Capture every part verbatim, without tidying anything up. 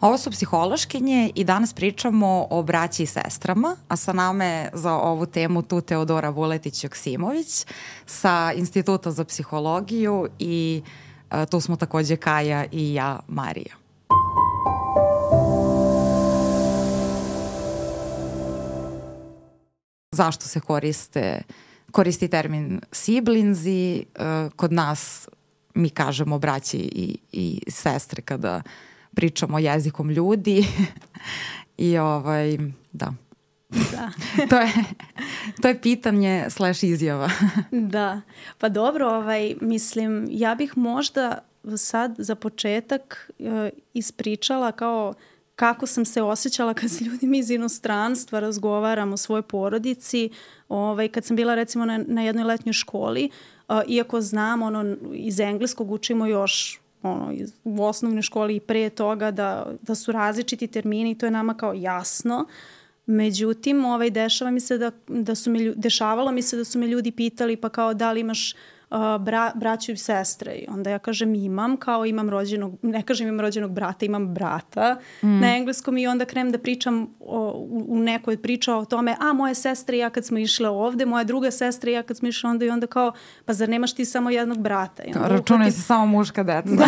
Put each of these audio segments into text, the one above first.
Ovo su psihološkinje i danas pričamo o braći i sestrama, a sa nama je za ovu temu tu Teodora Vuletić-Joksimović sa Instituta za psihologiju i uh, tu smo takođe Kaja i ja, Marija. Zašto se koriste, koristi termin siblinzi? Uh, kod nas mi kažemo braći i, i sestre kada pričamo jezikom ljudi i ovaj, da. Da. to, je, to je pitanje slash izjava. Da, pa dobro, ovaj, mislim, ja bih možda sad za početak uh, ispričala kao kako sam se osjećala kad s ljudima iz inostranstva razgovaram o svojoj porodici, ovaj, kad sam bila recimo na, na jednoj letnjoj školi, uh, iako znam, ono, iz engleskog učimo još ono, u osnovnoj školi i pre toga da, da su različiti termini i to je nama kao jasno. Međutim, ovaj, dešava mi se da, da su me, dešavalo mi se da su me ljudi pitali pa kao da li imaš uh, bra, braću i sestre. I onda ja kažem imam, kao imam rođenog, ne kažem imam rođenog brata, imam brata mm. na engleskom i onda krenem da pričam o, u, u nekoj priča o tome, a moje sestre i ja kad smo išle ovde, moja druga sestra i ja kad smo išle onda i onda kao, pa zar nemaš ti samo jednog brata? Računaj uhvati... se samo muška deca. Da,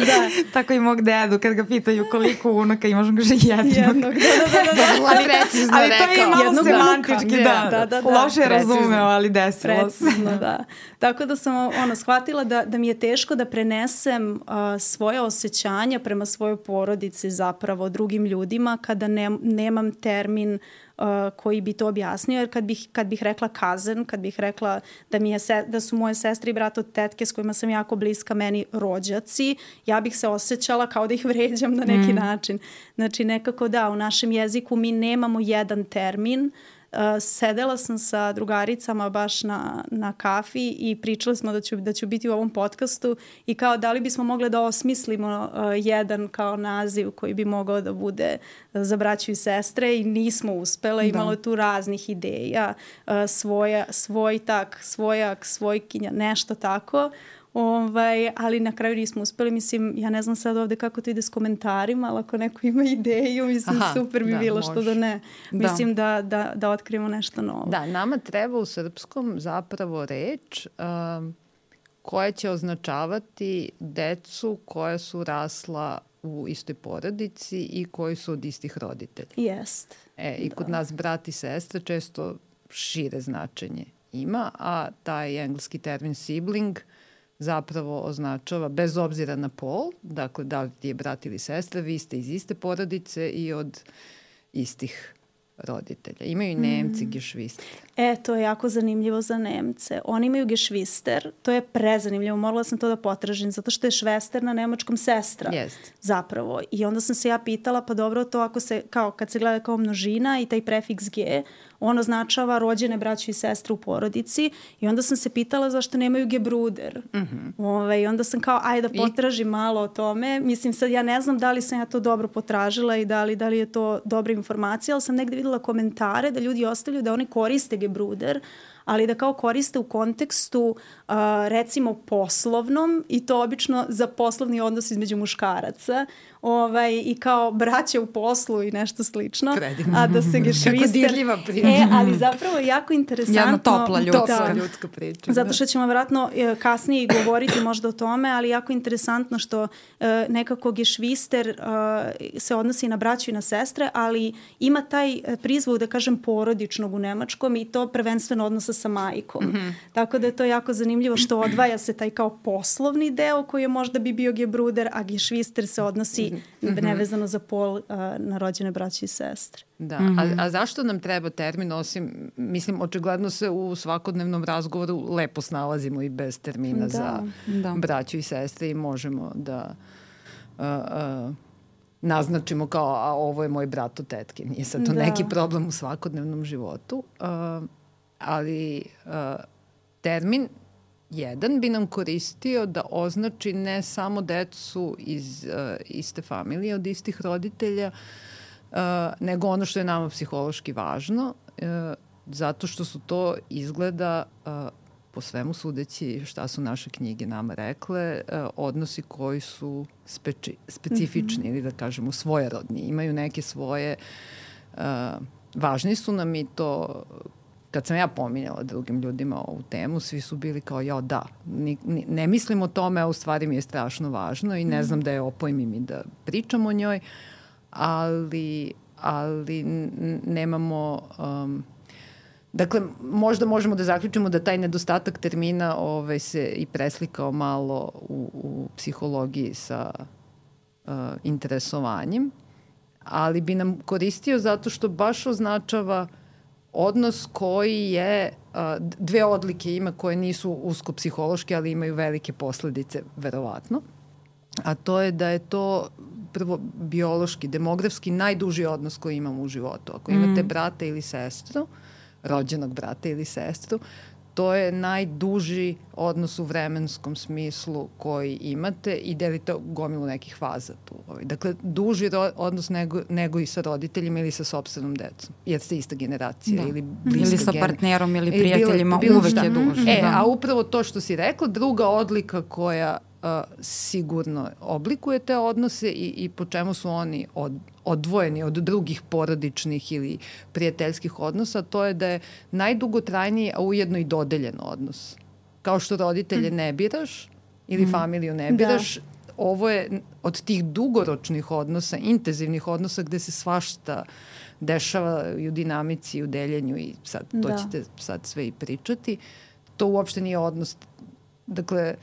da. Tako i mog dedu, kad ga pitaju koliko unuka imaš, on kaže jednog. Jednog, da, da, da. da. Ali precizno ali to je malo jednog semantički, da. Da, da, da. Loše je razumeo, ali desilo se. Precizno, da. Tako da sam ono, shvatila da, da mi je teško da prenesem uh, svoje osjećanja prema svojoj porodici zapravo drugim ljudima kada ne, nemam termin Uh, koji bi to objasnio, jer kad bih, kad bih rekla cousin, kad bih rekla da, mi je se, da su moje sestre i brat od tetke s kojima sam jako bliska meni rođaci, ja bih se osjećala kao da ih vređam na neki mm. način. Znači nekako da, u našem jeziku mi nemamo jedan termin. Uh, sedela sam sa drugaricama baš na, na kafi i pričali smo da ću, da ću biti u ovom podcastu i kao da li bismo mogli da osmislimo uh, jedan kao naziv koji bi mogao da bude za braću i sestre i nismo uspele, imalo je tu raznih ideja, uh, svoja, svoj tak, svojak, svojkinja, nešto tako. Ovaj, ali na kraju nismo uspeli, mislim, ja ne znam sad ovde kako to ide s komentarima, ali ako neko ima ideju, mislim, aha, super bi da, bilo, može. Što da ne. Da. Mislim da, da, da otkrijemo nešto novo. Da, nama treba u srpskom zapravo reč um, koja će označavati decu koja su rasla u istoj porodici i koji su od istih roditelja. Jest. E, i kod da. nas brat i sestra često šire značenje ima, a taj engleski termin sibling zapravo označava, bez obzira na pol, dakle da li ti je brat ili sestra, vi ste iz iste porodice i od istih roditelja. Imaju i Nemci mm. gešvister. E, to je jako zanimljivo za Nemce. Oni imaju gešvister, to je prezanimljivo, morala sam to da potražim, zato što je švester na nemačkom sestra. Jest. Zapravo. I onda sam se ja pitala, pa dobro, to ako se, kao kad se gleda kao množina i taj prefiks G, on označava rođene braće i sestre u porodici i onda sam se pitala zašto nemaju gebruder. Mm-hmm. Ove, I onda sam kao, ajde da potražim I... malo o tome. Mislim, sad ja ne znam da li sam ja to dobro potražila i da li, da li je to dobra informacija, ali sam negde videla komentare da ljudi ostavljaju da oni koriste gebruder, ali da kao koriste u kontekstu uh, recimo poslovnom i to obično za poslovni odnos između muškaraca ovaj, i kao braća u poslu i nešto slično. Predivno. A da se gešvister... Kako dirljiva priča. E, ali zapravo je jako interesantno... Jedna topla ljudska, da, ljudska priča. Zato što ćemo vjerojatno kasnije govoriti možda o tome, ali jako interesantno što uh, nekako gešvister uh, se odnosi na braću i na sestre, ali ima taj prizvuk, da kažem, porodičnog u nemačkom i to prvenstveno odnosa sa majkom. Mm-hmm. Tako da je to jako zanimljivo što odvaja se taj kao poslovni deo koji je možda bi bio gebruder, a gešvister se odnosi mm-hmm. nevezano za pol uh, na rođene braće i sestre. Da, mm-hmm. a, a zašto nam treba termin osim, mislim, očigledno se u svakodnevnom razgovoru lepo snalazimo i bez termina da, za da. braću i sestre i možemo da uh, uh, naznačimo kao, a ovo je moj brat od tetke. Nije sad to da. neki problem u svakodnevnom životu. Uh, ali uh, termin jedan bi nam koristio da označi ne samo decu iz uh, iste familije, od istih roditelja, uh, nego ono što je nama psihološki važno, uh, zato što su to izgleda uh, po svemu sudeći šta su naše knjige nama rekle, uh, odnosi koji su speci, specifični mm-hmm. ili da kažemo svojerodni. Imaju neke svoje, uh, važni su nam i to, kad sam ja pominjala drugim ljudima ovu temu, svi su bili kao, ja da, ni, ni, ne mislim o tome, a u stvari mi je strašno važno i ne mm-hmm. znam da je opojmim i da pričam o njoj, ali, ali nemamo... Um, Dakle, možda možemo da zaključimo da taj nedostatak termina ovaj, se i preslikao malo u, u psihologiji sa uh, interesovanjem, ali bi nam koristio zato što baš označava odnos koji je, uh, dve odlike ima koje nisu usko psihološke, ali imaju velike posledice, verovatno, a to je da je to prvo biološki, demografski najduži odnos koji imamo u životu. Ako imate mm. brata ili sestru, rođenog brata ili sestru, to je najduži odnos u vremenskom smislu koji imate i delite gomilu nekih faza tu. Dakle, duži odnos nego, nego i sa roditeljima ili sa sopstvenom decom, jer ste ista generacija. Da. Ili bliska ili sa partnerom ili prijateljima, bilo, bilo uvek šta. Je duži. E, da. A upravo to što si rekla, druga odlika koja uh, sigurno oblikuje te odnose i, i po čemu su oni od, odvojeni od drugih porodičnih ili prijateljskih odnosa, to je da je najdugotrajniji, a ujedno i dodeljen odnos. Kao što roditelje mm. ne biraš ili mm. familiju ne biraš, da. Ovo je od tih dugoročnih odnosa, intenzivnih odnosa gde se svašta dešava i u dinamici i u deljenju i sad to da. Ćete sad sve i pričati. To uopšte nije odnos, dakle,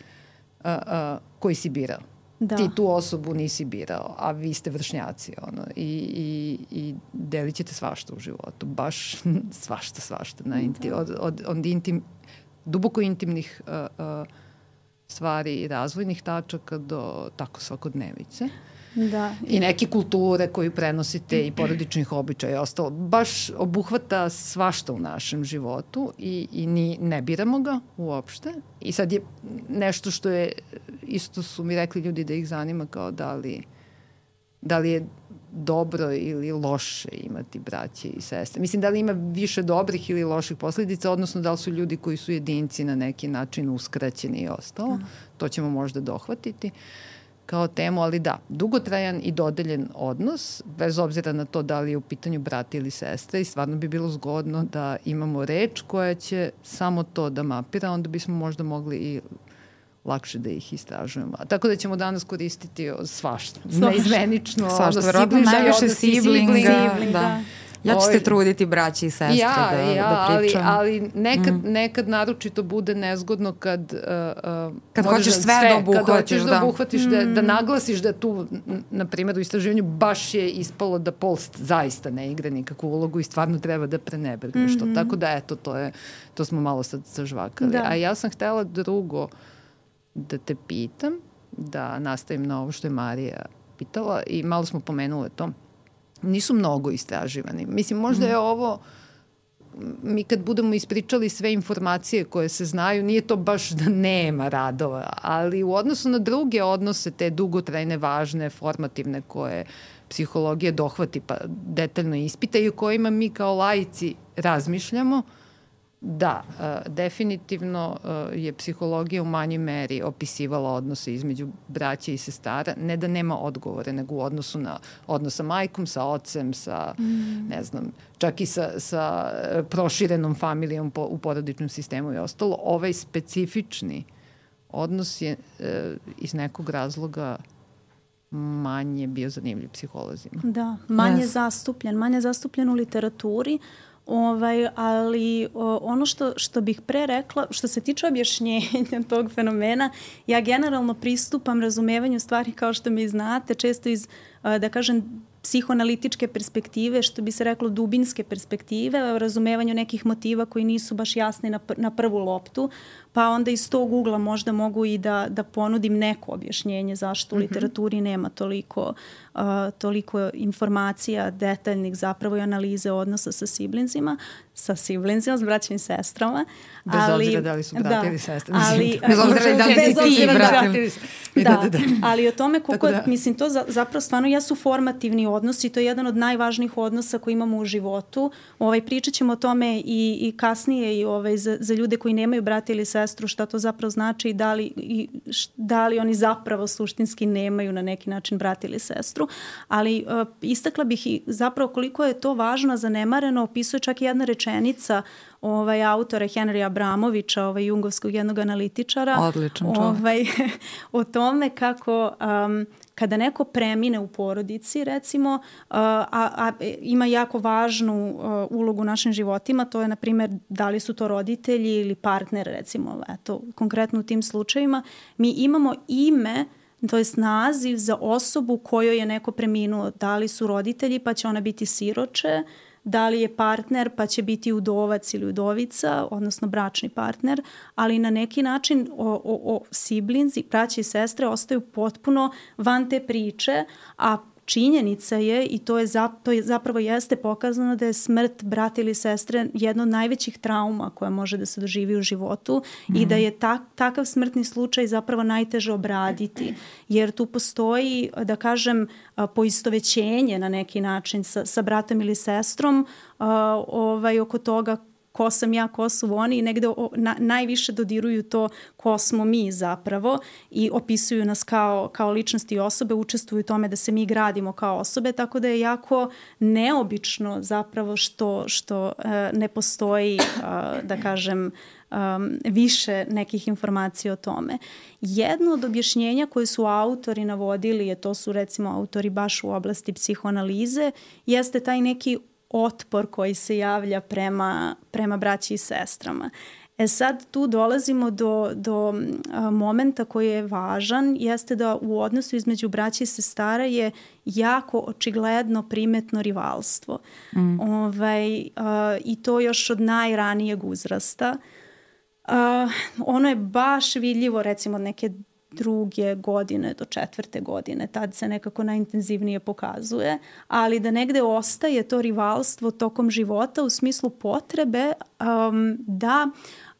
a, a, koji si birao. Da. Ti tu osobu nisi birao, a vi ste vršnjaci, ono, i, i, i delit ćete svašta u životu, baš svašta, svašta, na inti, od, od, od intim, duboko intimnih uh, uh, stvari i razvojnih tačaka do tako svakodnevice. Da. I neke kulture koju prenosite i porodičnih običaja i ostalo. Baš obuhvata svašta u našem životu i, i ni, ne biramo ga uopšte. I sad je nešto što je, isto su mi rekli ljudi da ih zanima kao da li, da li je dobro ili loše imati braće i sestre. Mislim, da li ima više dobrih ili loših posledica, odnosno da li su ljudi koji su jedinci na neki način uskraćeni i ostalo. Mm. To ćemo možda dohvatiti kao temu, ali da, dugotrajan i dodeljen odnos, bez obzira na to da li je u pitanju brata ili sestra, i stvarno bi bilo zgodno da imamo reč koja će samo to da mapira, onda bismo možda mogli i lakše da ih istražujemo. Tako da ćemo danas koristiti svašta. Neizmenično. Svašta, verovatno najviše siblinga. Da. da. Ja ću se truditi braći i sestre ja, da, ja, da pričam. Ali, ali nekad, mm. nekad naročito bude nezgodno kad, uh, uh, kad hoćeš sve, sve da obuhvatiš. Kad hoćeš da, da obuhvatiš, mm. da, da naglasiš da tu, na primjer, u istraživanju baš je ispalo da pol zaista ne igra nikakvu ulogu i stvarno treba da prenebegneš mm-hmm. to. Tako da, eto, to, je, to smo malo sad sažvakali. Da. A ja sam htela drugo da te pitam, da nastavim na ovo što je Marija pitala i malo smo pomenule to. Nisu mnogo istraživani. Mislim, možda je ovo, mi kad budemo ispričali sve informacije koje se znaju, nije to baš da nema radova, ali u odnosu na druge odnose, te dugotrajne, važne, formativne koje psihologija dohvati pa detaljno ispita i o kojima mi kao laici razmišljamo, da, uh, definitivno uh, je psihologija u manjoj meri opisivala odnose između braća i sestara, ne da nema odgovore, nego u odnosu na odnos sa majkom, sa ocem, sa, mm. ne znam, čak i sa, sa proširenom familijom po, u porodičnom sistemu i ostalo. Ovaj specifični odnos je uh, iz nekog razloga manje bio zanimljiv psiholozima. Da, manje yes. zastupljen, manje zastupljen u literaturi. Ovaj, ali o, ono što, što bih pre rekla, što se tiče objašnjenja tog fenomena, ja generalno pristupam razumevanju stvari kao što mi znate, često iz, da kažem, psihoanalitičke perspektive, što bi se reklo dubinske perspektive, o razumevanju nekih motiva koji nisu baš jasni na, na prvu loptu, pa onda iz tog ugla možda mogu i da, da ponudim neko objašnjenje zašto u literaturi nema toliko, uh, toliko informacija detaljnih zapravo i analize odnosa sa siblingzima. sa siblincima, s braćim i sestrama. Bez ali, obzira da li su brati da, ili sestre. Ali, bez obzira da li si ti brati. Da, da, ali o tome koliko, da. mislim, to za, zapravo stvarno jesu formativni odnosi, to je jedan od najvažnijih odnosa koji imamo u životu. Ovaj, pričat ćemo o tome i, i kasnije i ovaj, za, za ljude koji nemaju brata ili sestru, šta to zapravo znači i da li, i da li oni zapravo suštinski nemaju na neki način brata ili sestru. Ali uh, istakla bih i zapravo koliko je to važno, zanemareno, opisuje čak i jedna rečenica ovaj, autora Henrya Abramovića, ovaj, jungovskog jednog analitičara. Odličan čovjek. Ovaj, o tome kako um, kada neko premine u porodici, recimo, uh, a, a ima jako važnu uh, ulogu u našim životima, to je, na primjer, da li su to roditelji ili partner, recimo, eto, konkretno u tim slučajevima, mi imamo ime, to jest naziv za osobu kojoj je neko preminuo. Da li su roditelji, pa će ona biti siroče, da li je partner, pa će biti udovac ili udovica, odnosno bračni partner, ali na neki način o, o, o siblings, braće i sestre ostaju potpuno van te priče, a činjenica je, i to je, za, to je zapravo jeste pokazano da je smrt brata ili sestre jedno od najvećih trauma koja može da se doživi u životu mm. i da je ta, takav smrtni slučaj zapravo najteže obraditi, jer tu postoji, da kažem, poistovećenje na neki način sa, sa bratom ili sestrom uh, ovaj, oko toga ko sam ja, ko su oni i negde o, na, najviše dodiruju to ko smo mi zapravo i opisuju nas kao, kao ličnosti i osobe, učestvuju u tome da se mi gradimo kao osobe, tako da je jako neobično zapravo što, što uh, ne postoji, uh, da kažem, um, više nekih informacija o tome. Jedno od objašnjenja koje su autori navodili, je to su recimo autori baš u oblasti psihoanalize, jeste taj neki otpor koji se javlja prema, prema braći i sestrama. E sad tu dolazimo do, do a, momenta koji je važan, jeste da u odnosu između braća i sestara je jako očigledno primetno rivalstvo. Mm. Ovaj, a, i to još od najranijeg uzrasta. A, ono je baš vidljivo recimo od neke druge godine do četvrte godine, tad se nekako najintenzivnije pokazuje, ali da negde ostaje to rivalstvo tokom života u smislu potrebe um, da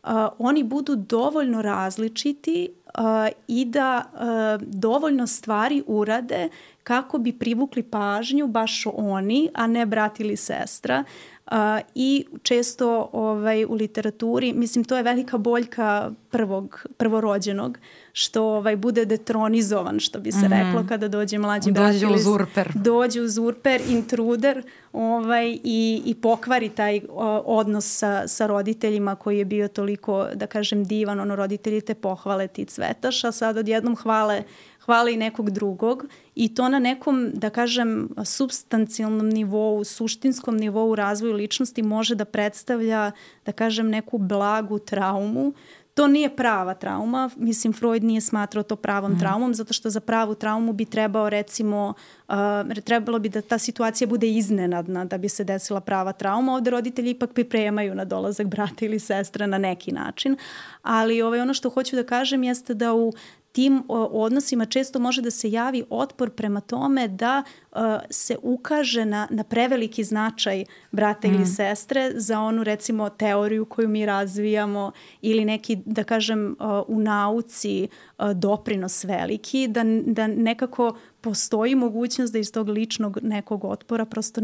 uh, oni budu dovoljno različiti uh, i da uh, dovoljno stvari urade kako bi privukli pažnju baš oni, a ne brat ili sestra. Uh, i često ovaj, u literaturi, mislim, to je velika boljka prvog, prvorođenog, što ovaj, bude detronizovan, što bi se mm. reklo kada dođe mlađi brat. Dođe uzurper. Dođe uzurper, intruder ovaj, i, i pokvari taj o, odnos sa, sa roditeljima koji je bio toliko, da kažem, divan. Ono, roditelji te pohvale, ti cvetaš, a sad odjednom hvale hvale i nekog drugog i to na nekom, da kažem, supstancijalnom nivou, suštinskom nivou razvoju ličnosti može da predstavlja, da kažem, neku blagu traumu. To nije prava trauma, mislim Freud nije smatrao to pravom mm. traumom, zato što za pravu traumu bi trebao recimo, uh, trebalo bi da ta situacija bude iznenadna da bi se desila prava trauma. Ovde roditelji ipak pripremaju na dolazak brata ili sestre na neki način, ali ovaj, ono što hoću da kažem jeste da u tim odnosima često može da se javi otpor prema tome da uh, se ukaže na, na preveliki značaj brata mm. ili sestre za onu recimo teoriju koju mi razvijamo ili neki, da kažem, uh, u nauci uh, doprinos veliki, da, da nekako postoji mogućnost da iz tog ličnog nekog otpora prosto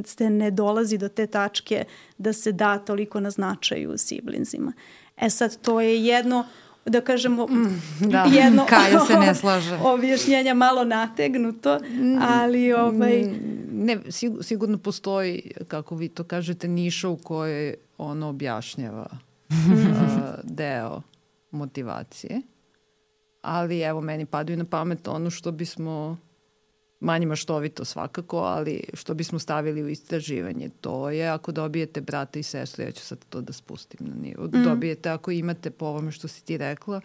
se ne dolazi do te tačke da se da toliko na značaju siblingsima. E sad, to je jedno, da kažemo, mm, da. jedno Kaja se ne slaže. Objašnjenja malo nategnuto, ali ovaj... Ne, sigurno postoji, kako vi to kažete, niša u kojoj ono objašnjava uh, deo motivacije. Ali evo, meni padaju na pamet ono što bismo, manje maštovito svakako, ali što bismo stavili u istraživanje. To je ako dobijete brata i sestru, ja ću sad to da spustim na nivo. Mm. Dobijete ako imate po ovome što si ti rekla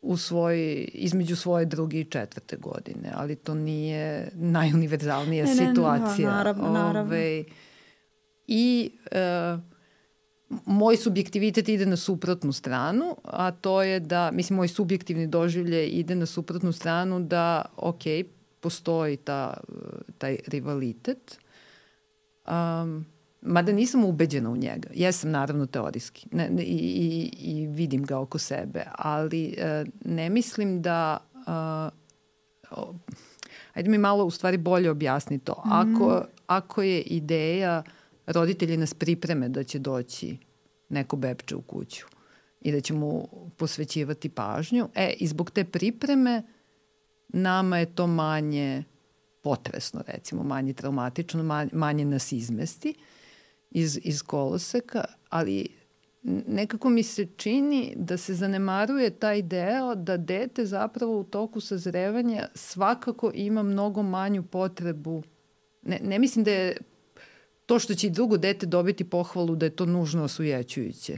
u svoj, između svoje druge i četvrte godine, ali to nije najuniverzalnija ne, situacija. Ne, naravno, naravno. Ove, I uh, moj subjektivitet ide na suprotnu stranu, a to je da, mislim, moj subjektivni doživljaj ide na suprotnu stranu da, okej, postoji ta, taj rivalitet, um, mada nisam ubeđena u njega. Jesam naravno teorijski ne, ne, i, i, i vidim ga oko sebe, ali uh, ne mislim da... Uh, oh, ajde mi malo u stvari bolje objasni to. Ako, mm. ako je ideja roditelji nas pripreme da će doći neko bebče u kuću i da će mu posvećivati pažnju, e, i zbog te pripreme nama je to manje potresno, recimo, manje traumatično, manje, manje nas izmesti iz, iz koloseka, ali nekako mi se čini da se zanemaruje taj deo da dete zapravo u toku sazrevanja svakako ima mnogo manju potrebu. Ne, ne mislim da je to što će i drugo dete dobiti pohvalu da je to nužno osujećujuće.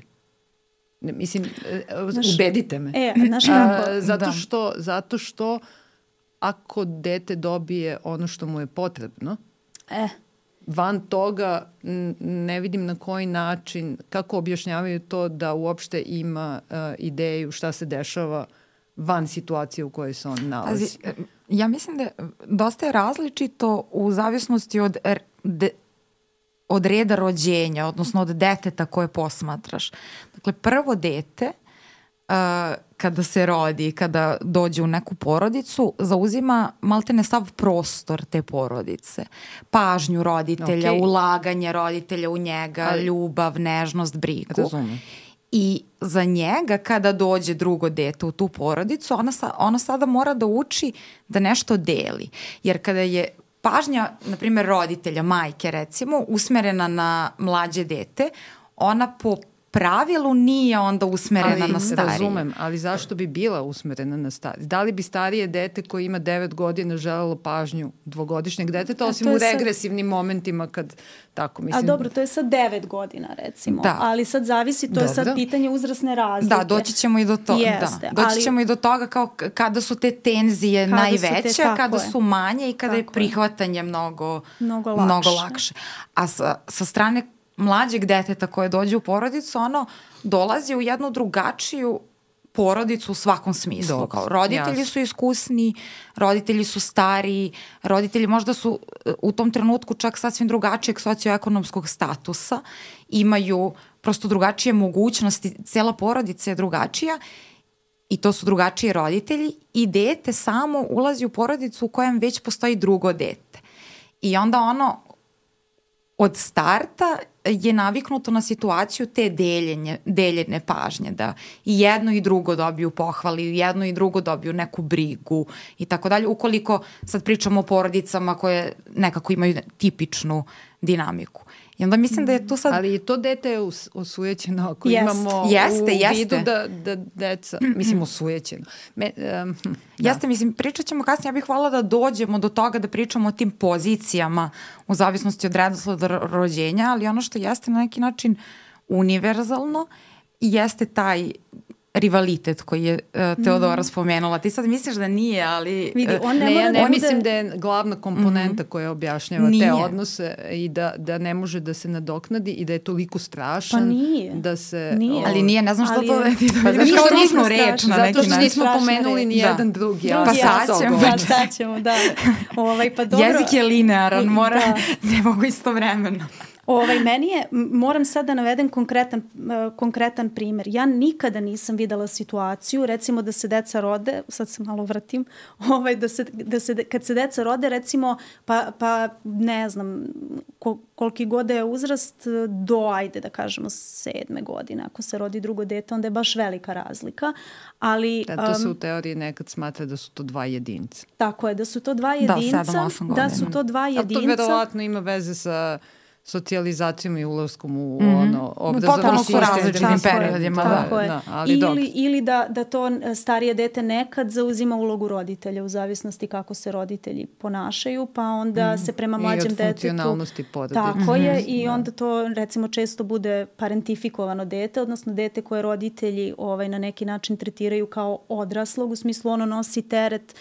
Ne, mislim, znaš, ubedite me. E, znaš kako? A, zato, što, zato što ako dete dobije ono što mu je potrebno, e. van toga ne vidim na koji način, kako objašnjavaju to da uopšte ima uh, ideju šta se dešava van situacije u kojoj se on nalazi. Pazi, ja mislim da je dosta je različito u zavisnosti od, de, od reda rođenja, odnosno od deteta koje posmatraš. Dakle, prvo dete uh, kada se rodi, kada dođe u neku porodicu, zauzima maltene sav prostor te porodice. Pažnju roditelja, okay. ulaganje roditelja u njega, ali, ljubav, nežnost, brigu. Razumem. I za njega kada dođe drugo dete u tu porodicu, ona, sa, ona sada mora da uči da nešto deli. Jer kada je pažnja, na primjer roditelja, majke recimo, usmerena na mlađe dete, ona po pravilu nije onda usmerena ali, na starije. Razumem, ali zašto bi bila usmerena na starije? Da li bi starije dete koje ima devet godina želelo pažnju dvogodišnjeg deteta, osim u regresivnim sad momentima kad tako mislim... A dobro, to je sad devet godina recimo, da. Ali sad zavisi, to dobro. Je sad pitanje uzrasne razlike. Da, doći ćemo i do toga. Jeste, da. Doći ali... ćemo i do toga kao kada su te tenzije kada najveće, su te, kada su manje i kada tako je prihvatanje mnogo, mnogo lakše. Mnogo lakše. A sa, sa strane mlađeg deteta koje dođe u porodicu, ono dolazi u jednu drugačiju porodicu u svakom smislu. Dobro, kao roditelji jasno. Su iskusni, roditelji su stariji, roditelji možda su u tom trenutku čak sasvim drugačijeg socioekonomskog statusa, imaju prosto drugačije mogućnosti, cijela porodica je drugačija i to su drugačiji roditelji i dete samo ulazi u porodicu u kojem već postoji drugo dete. I onda ono od starta je naviknuto na situaciju te deljenje, deljene pažnje, da i jedno i drugo dobiju pohvali, i jedno i drugo dobiju neku brigu i tako dalje. Ukoliko sad pričamo o porodicama koje nekako imaju tipičnu dinamiku. I onda mislim da je tu sad... Ali to dete je osujećeno ako jest. Imamo jeste, u jeste. vidu da, da deca, mislim osujećeno. Me, um, da. Jeste, mislim, pričat ćemo kasnije, ja bih hvala da dođemo do toga da pričamo o tim pozicijama u zavisnosti od redosleda rođenja, ali ono što jeste na neki način univerzalno jeste taj rivalitet koji je uh, Teodora mm. spomenula. Ti sad misliš da nije, ali... Vidi, on ne, ne ja ne da mislim da je glavna komponenta mm-hmm. koja objašnjava nije. Te odnose i da, da ne može da se nadoknadi i da je toliko strašan. Pa nije. Da se, nije. O... Ali nije, ne znam što ali, to... Pa da zato što nismo reč na neki način. Zato što nismo pomenuli ni da. jedan drugi. drugi pa sad ćemo. Da, sad ćemo, da. Ovaj, pa dobro. Jezik je linearan, mora, da. Ne mogu istovremeno. Ovaj, meni je, moram sad da navedem konkretan, uh, konkretan primer. Ja nikada nisam videla situaciju, recimo da se deca rode, sad se malo vratim, ovaj, da se, da se, kad se deca rode, recimo, pa, pa ne znam, kol, koliki god je uzrast, do, ajde da kažemo, sedme godine. Ako se rodi drugo dete, onda je baš velika razlika. Ali, da, to se u teoriji nekad smatra da su to dva jedinca. Tako je, da su to dva jedinca. Da, sedam, osam godina. Da su to dva jedinca. A to verovatno ima veze sa socijalizacijom i ulaskom u mm-hmm. ono obrazovanje sistem. Potpuno su različitim periodima. Da, tako da, je. Da, ali ili, ili da, da to starije dete nekad zauzima ulogu roditelja u zavisnosti kako se roditelji ponašaju, pa onda mm-hmm. se prema mlađem detetu... I od funkcionalnosti porodice. Tako mm-hmm. je i da. Onda to recimo često bude parentifikovano dete, odnosno dete koje roditelji ovaj, na neki način tretiraju kao odraslog, u smislu ono nosi teret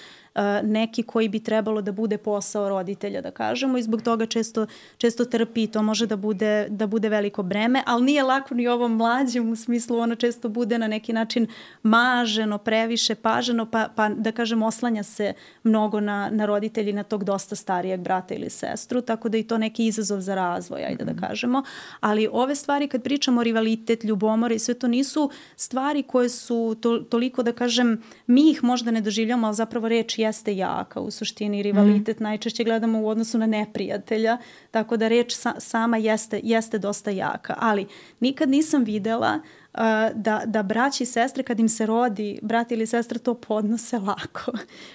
neki koji bi trebalo da bude posao roditelja, da kažemo, i zbog toga često, često trpi i to može da bude, da bude veliko breme, ali nije lako ni ovom mlađem, u smislu ona često bude na neki način maženo, previše paženo, pa, pa da kažem oslanja se mnogo na, na roditelji, na tog dosta starijeg brata ili sestru, tako da i to neki izazov za razvoj, ajde mm-hmm. da kažemo. Ali ove stvari kad pričamo o rivalitet, ljubomore i sve to nisu stvari koje su to, toliko da kažem, mi ih možda ne doživljamo, ali zapravo reč jeste jaka u suštini. Rivalitet mm. najčešće gledamo u odnosu na neprijatelja, tako da reč sa, sama jeste, jeste dosta jaka. Ali nikad nisam videla uh, da, da braći i sestre kad im se rodi brat ili sestra to podnose lako.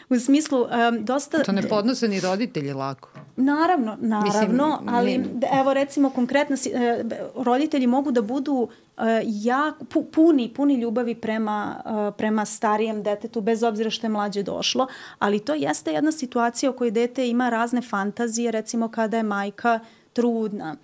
U smislu um, dosta... To ne podnose ni roditelji lako. Naravno, naravno, Mislim, ali ne... evo recimo konkretno uh, roditelji mogu da budu Uh, ja, pu, puni, puni ljubavi prema, uh, prema starijem detetu, bez obzira što je mlađe došlo, ali to jeste jedna situacija u kojoj dete ima razne fantazije, recimo kada je majka trudna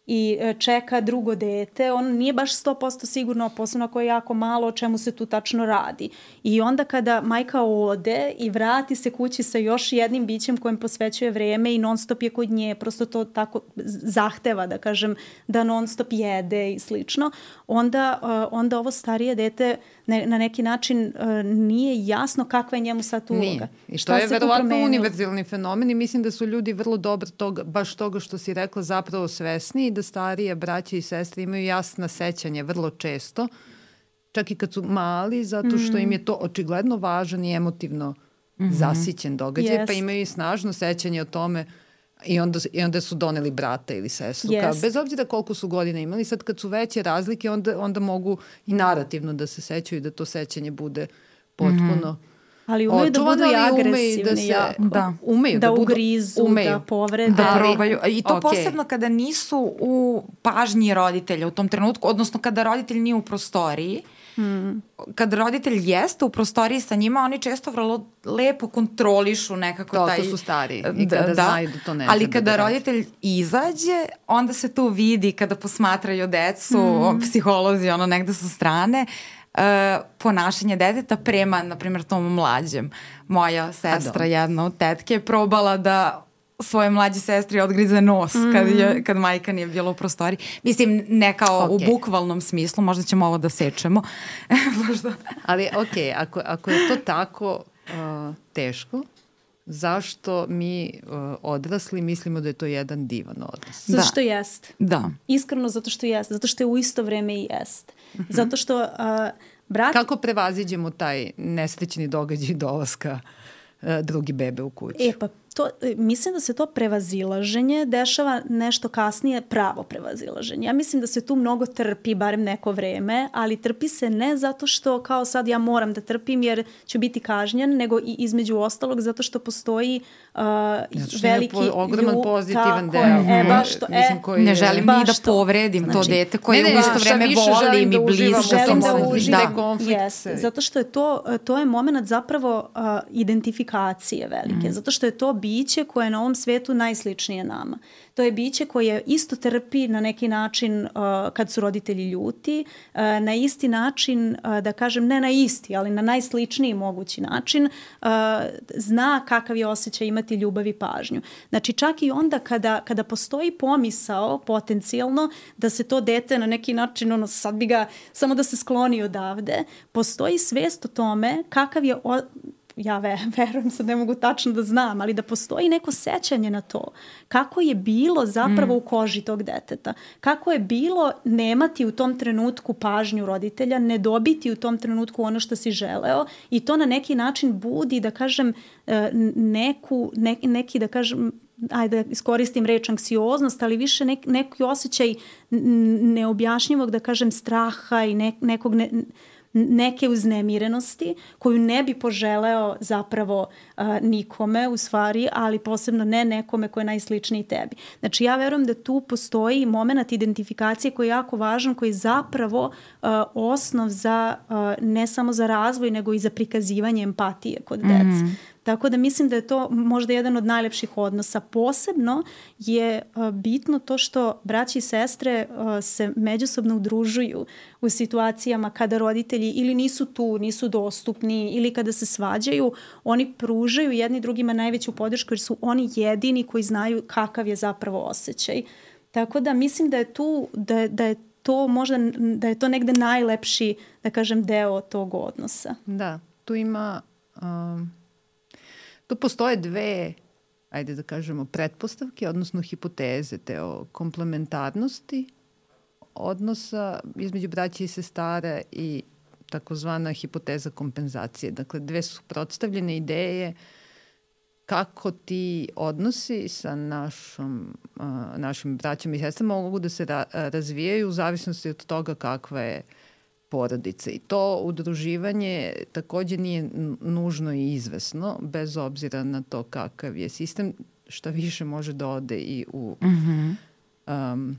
i čeka drugo dete, on nije baš sto posto sigurno, posebno ako je jako malo, o čemu se tu tačno radi. I onda kada majka ode i vrati se kući sa još jednim bićem kojem posvećuje vreme i non stop je kod nje, prosto to tako zahteva, da kažem, da non stop jede i slično, onda, onda ovo starije dete ne, na neki način nije jasno kakva je njemu sad uloga. Nije. I to je verovatno univerzalni fenomen i mislim da su ljudi vrlo dobro toga, baš toga što si rekla zapravo svesni da starije braće i sestre imaju jasna sećanje vrlo često, čak i kad su mali, zato što im je to očigledno važan i emotivno mm-hmm. zasićen događaj, yes. pa imaju i snažno sećanje o tome i onda, i onda su doneli brata ili sestru. Yes. Kao, bez obzira koliko su godina imali, sad kad su veće razlike, onda, onda mogu i narativno da se sećaju i da to sećanje bude potpuno mm-hmm. ali umeju da budu i agresivni, da se, jako. Da, umeju da, da ugrizu, umeju. Da povrede. Da probaju. I to okay. posebno kada nisu u pažnji roditelja u tom trenutku, odnosno kada roditelj nije u prostoriji. Hmm. Kad roditelj jeste u prostoriji sa njima, oni često vrlo lepo kontrolišu nekako to, taj... To su stariji i kada da, znaju da to ne ali kada da roditelj izađe, onda se tu vidi kada posmatraju decu, hmm. psiholozi ono negde sa strane, Uh, ponašanje deteta prema, na primjer, tom mlađem. Moja sestra, jedna od tetke, je probala da svoje mlađe sestri odgrize nos mm. kad, je, kad majka nije bila u prostoriji. Mislim, ne kao okay. u bukvalnom smislu, možda ćemo ovo da sečemo. možda. Ali ok, ako, ako je to tako uh, teško, zašto mi uh, odrasli mislimo da je to jedan divan odnos? Zato što jest. Da. Iskreno zato što jest. Zato što je u isto vreme i jest. Mm-hmm. Zato što uh, brat... Kako prevaziđemo taj nesrećni događaj dolaska uh, drugi bebe u kuću? E pa to, mislim da se to prevazilaženje dešava nešto kasnije, pravo prevazilaženje. Ja mislim da se tu mnogo trpi, barem neko vreme, ali trpi se ne zato što kao sad ja moram da trpim jer ću biti kažnjen, nego i između ostalog zato što postoji uh, veliki po, ogroman ljub, pozitivan deo. E, baš to, e, mislim, koji ne želim ni da povredim znači, to dete koje ne, ne, u isto vreme volim i blisko. Želim da uživam. Yes, zato što je to, to je moment zapravo uh, identifikacije velike. Mm. Zato što je to biće koje je na ovom svetu najsličnije nama. To je biće koje isto trpi na neki način uh, kad su roditelji ljuti, uh, na isti način, uh, da kažem, ne na isti, ali na najsličniji mogući način, uh, zna kakav je osjećaj imati ljubav i pažnju. Znači čak i onda kada, kada postoji pomisao potencijalno da se to dete na neki način, ono sad bi ga, samo da se skloni odavde, postoji svest o tome kakav je o, ja ve, verujem, sad ne mogu tačno da znam, ali da postoji neko sećanje na to. Kako je bilo zapravo mm. u koži tog deteta. Kako je bilo nemati u tom trenutku pažnju roditelja, ne dobiti u tom trenutku ono što si želeo i to na neki način budi, da kažem, neku, ne, neki, da kažem, ajde da iskoristim reč anksioznost, ali više nek, neki osjećaj neobjašnjivog, da kažem, straha i ne, nekog... Ne, neke uznemirenosti koju ne bi poželeo zapravo uh, nikome u stvari, ali posebno ne nekome ko je najsličniji tebi. Znači ja verujem da tu postoji moment identifikacije koji je jako važan, koji je zapravo uh, osnov za uh, ne samo za razvoj, nego i za prikazivanje empatije kod dece. Mm. Tako da mislim da je to možda jedan od najlepših odnosa. Posebno je uh, bitno to što braći i sestre uh, se međusobno udružuju u situacijama kada roditelji ili nisu tu, nisu dostupni ili kada se svađaju, oni pružaju jedni drugima najveću podršku jer su oni jedini koji znaju kakav je zapravo osjećaj. Tako da mislim da je tu, da, da je to možda, da je to negde najlepši, da kažem, deo tog odnosa. Da, tu ima, um, tu postoje dve, ajde da kažemo, pretpostavke, odnosno hipoteze te o komplementarnosti odnosa između braće i sestara i takozvana hipoteza kompenzacije. Dakle, dve su suprotstavljene ideje kako ti odnosi sa našom, uh, našim braćama i sestrama mogu da se ra razvijaju u zavisnosti od toga kakva je porodica. I to udruživanje takođe nije nužno i izvesno, bez obzira na to kakav je sistem, šta više može da ode i u mm-hmm. um,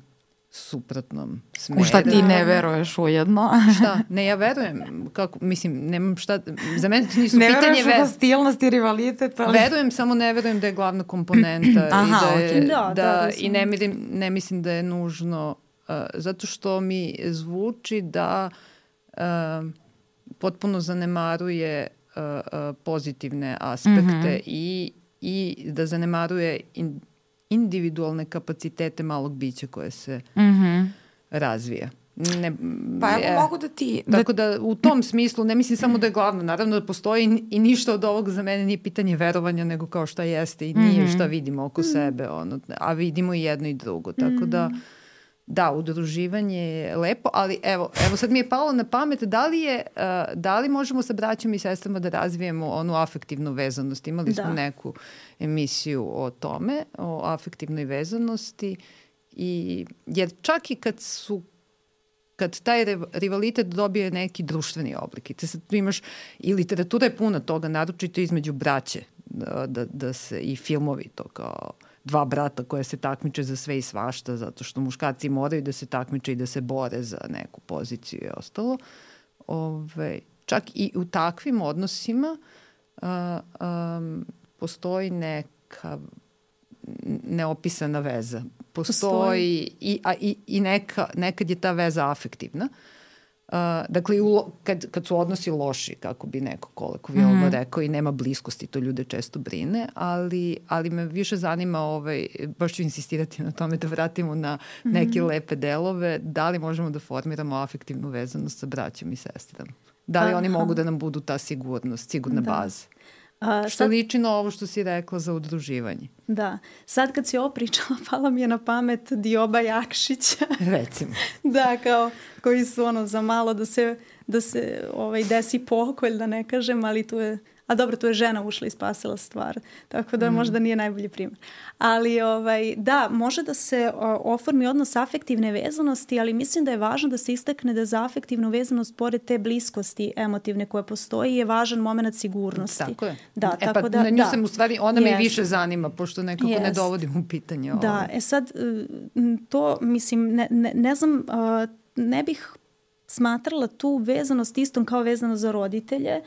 suprotnom smeru. U šta ti ne veruješ ujedno? Šta? Ne, ja verujem. Kako, mislim, nemam šta... Za mene to nisu ne pitanje... Ne veruješ u hostilnost i rivalitet, ali... Verujem, samo ne verujem da je glavna komponenta. Aha, i da je, okay. da, da, da, da, i ne, mirim, ne mislim da je nužno... Uh, zato što mi zvuči da uh, potpuno zanemaruje uh, uh, pozitivne aspekte mm-hmm. i, i da zanemaruje... In, individualne kapacitete malog bića koje se mm-hmm. razvija. Ne, pa evo je, mogu da ti... Tako da, da u tom smislu, ne mislim samo da je glavno, naravno da postoji i ništa od ovog za mene nije pitanje verovanja, nego kao šta jeste i nije mm-hmm. šta vidimo oko mm-hmm. sebe, ono, a vidimo i jedno i drugo. Tako mm-hmm. da, da, udruživanje je lepo, ali evo, evo sad mi je palo na pamet, da li, je, uh, da li možemo sa braćom i sestrama da razvijemo onu afektivnu vezanost? Imali smo da. neku emisiju o tome, o afektivnoj vezanosti, i, jer čak i kad su kad taj rivalitet dobije neki društveni oblik. I te sad tu imaš, i literatura je puna toga, naročito između braće, da, da, da se i filmovi to kao dva brata koje se takmiče za sve i svašta, zato što muškarci moraju da se takmiče i da se bore za neku poziciju i ostalo. Ove, čak i u takvim odnosima uh, um, postoji neka neopisana veza. Postoji i, a, i, i neka, nekad je ta veza afektivna. Uh, dakle, u, kad, kad su odnosi loši, kako bi neko kolokvijalno mm. rekao, i nema bliskosti, to ljude često brine, ali, ali me više zanima, ovaj, baš ću insistirati na tome da vratimo na neke mm. lepe delove, da li možemo da formiramo afektivnu vezanost sa braćom i sestrama. Da li Aha. oni mogu da nam budu ta sigurnost, sigurna da. baza. A, što sad, liči na ovo što si rekla za udruživanje. Da. Sad kad si ovo pričala, pala mi je na pamet Dioba Jakšića. Recimo. Da, kao koji su ono za malo da se, da se ovaj, desi pokolj, da ne kažem, ali tu je... A dobro, tu je žena ušla i spasila stvar, tako da mm. možda nije najbolji primjer. Ali ovaj, da, može da se o, oformi odnos afektivne vezanosti, ali mislim da je važno da se istakne da za afektivnu vezanost, pored te bliskosti emotivne koje postoji, je važan moment sigurnosti. Tako je. Da, e tako pa da, na nju da. sam u stvari, ona yes. me više zanima, pošto nekako yes. ne dovodim u pitanje ovo. Da, e sad, to mislim, ne, ne, ne znam, ne bih smatrala tu vezanost istom kao vezano za roditelje,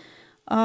Uh,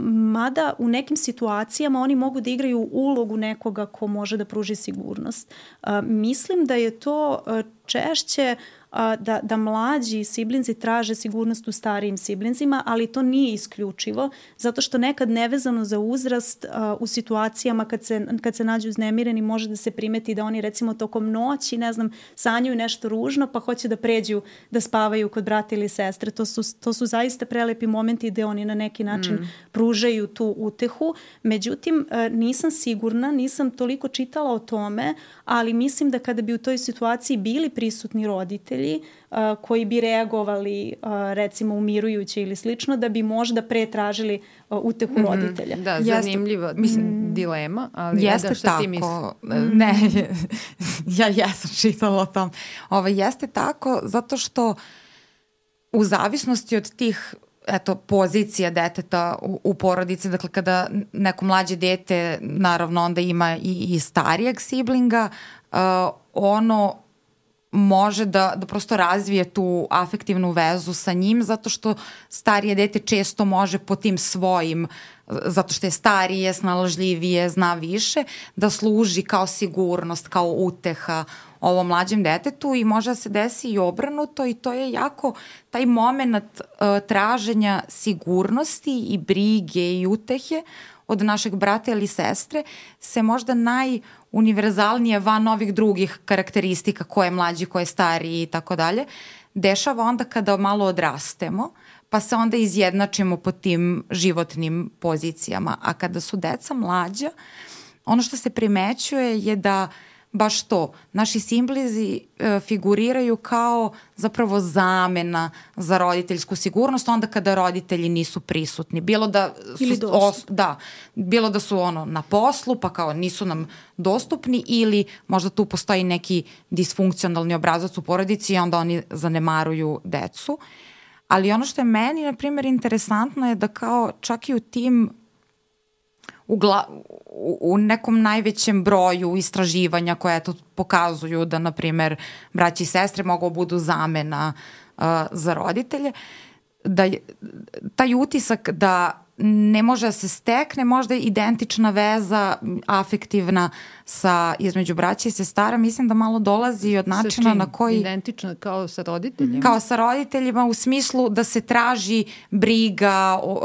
mada u nekim situacijama oni mogu da igraju ulogu nekoga ko može da pruži sigurnost. Uh, mislim da je to uh, češće uh, da, da mlađi siblinzi traže sigurnost u starijim siblinzima, ali to nije isključivo, zato što nekad nevezano za uzrast uh, u situacijama kad se, kad se nađu uznemireni može da se primeti da oni recimo tokom noći, ne znam, sanjaju nešto ružno pa hoće da pređu da spavaju kod brata ili sestre. To su, to su zaista prelepi momenti gde oni na neki način mm. pružaju tu utehu. Međutim, uh, nisam sigurna, nisam toliko čitala o tome, ali mislim da kada bi u toj situaciji bili prisutni roditelji uh, koji bi reagovali uh, recimo umirujuće ili slično, da bi možda pre tražili uh, utehu mm-hmm. roditelja. Da, zanimljiva jeste, mislim, dilema, ali jeste da, šta tako, ti misliš? Ne, ja jesam čitala o tom. Ovo, jeste tako zato što u zavisnosti od tih eto, pozicija deteta u, u porodici, dakle kada neko mlađe dete naravno onda ima i, i starijeg siblinga, uh, ono može da, da prosto razvije tu afektivnu vezu sa njim, zato što starije dete često može po tim svojim, zato što je starije, snalažljivije, zna više, da služi kao sigurnost, kao uteha ovom mlađem detetu i može da se desi i obrnuto i to je jako taj moment uh, traženja sigurnosti i brige i utehe od našeg brata ili sestre se možda najuniverzalnije van ovih drugih karakteristika ko je mlađi, ko je stariji i tako dalje, dešava onda kada malo odrastemo, pa se onda izjednačimo po tim životnim pozicijama. A kada su deca mlađa, ono što se primećuje je da baš to, naši simblizi e, figuriraju kao zapravo zamena za roditeljsku sigurnost onda kada roditelji nisu prisutni. Bilo da su, ili os, da, bilo da su ono na poslu pa kao nisu nam dostupni ili možda tu postoji neki disfunkcionalni obrazac u porodici i onda oni zanemaruju decu. Ali ono što je meni, na primjer, interesantno je da kao čak i u tim U, gla, u, u nekom najvećem broju istraživanja koje to pokazuju da, na primjer, braći i sestre mogu budu zamena uh, za roditelje, da je, taj utisak da ne može da se stekne možda identična veza afektivna sa, između braća i sestara, mislim da malo dolazi od načina na koji... Identična kao sa roditeljima? Kao sa roditeljima u smislu da se traži briga, uh,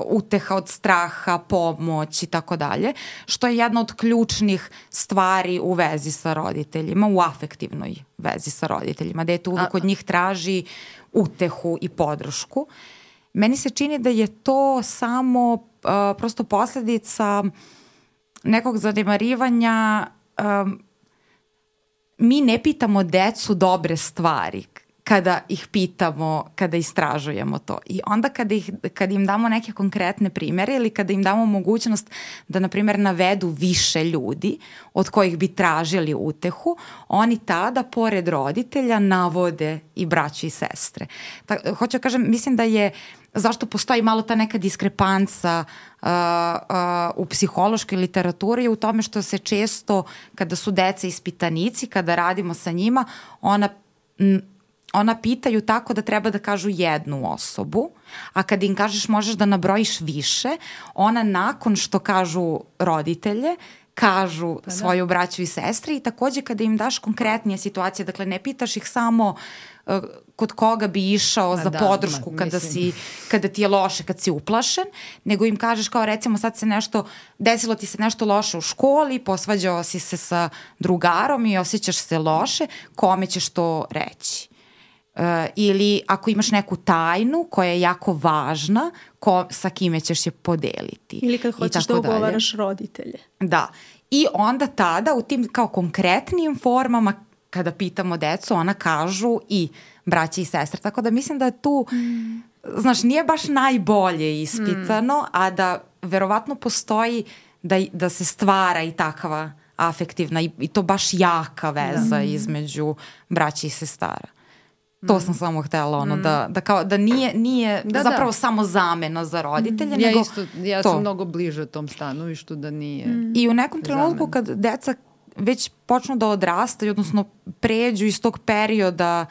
uteha od straha, pomoć i tako dalje, što je jedna od ključnih stvari u vezi sa roditeljima, u afektivnoj vezi sa roditeljima, da je to uvijek od njih traži utehu i podršku. Meni se čini da je to samo uh, prosto posledica nekog zanemarivanja. Um, mi ne pitamo decu dobre stvari kada ih pitamo, kada istražujemo to. I onda kada, ih, kada im damo neke konkretne primere ili kada im damo mogućnost da, na primjer, navedu više ljudi od kojih bi tražili utehu, oni tada, pored roditelja, navode i braću i sestre. Ta, hoću da kažem, mislim da je zašto postoji malo ta neka diskrepanca uh, uh, u psihološkoj literaturi u tome što se često, kada su deca ispitanici, kada radimo sa njima, ona... M, ona pitaju tako da treba da kažu jednu osobu, a kada im kažeš možeš da nabrojiš više, ona nakon što kažu roditelje, kažu pa svoju braću i sestre i takođe kada im daš konkretnije situacije, dakle ne pitaš ih samo uh, kod koga bi išao a za da, podršku ma, kada, si, kada ti je loše, kad si uplašen, nego im kažeš kao recimo sad se nešto, desilo ti se nešto loše u školi, posvađao si se sa drugarom i osjećaš se loše, kome ćeš to reći? Uh, ili ako imaš neku tajnu koja je jako važna, ko, sa kime ćeš je podeliti. Ili kad hoćeš da ugovaraš roditelje. Da. I onda tada u tim kao konkretnim formama kada pitamo decu, ona kažu i braći i sestre. Tako da mislim da je tu, mm. znaš, nije baš najbolje ispitano, mm. a da verovatno postoji da, da se stvara i takva afektivna i, i to baš jaka veza mm. između braći i sestara. To sam samo htjela, ono, mm. da, da, kao, da nije, nije da, zapravo da. samo zamena za roditelje. Mm. Ja, nego isto, ja to. sam mnogo bliže tom stanovištu da nije mm. I u nekom trenutku kad deca već počnu da odrastaju, odnosno pređu iz tog perioda,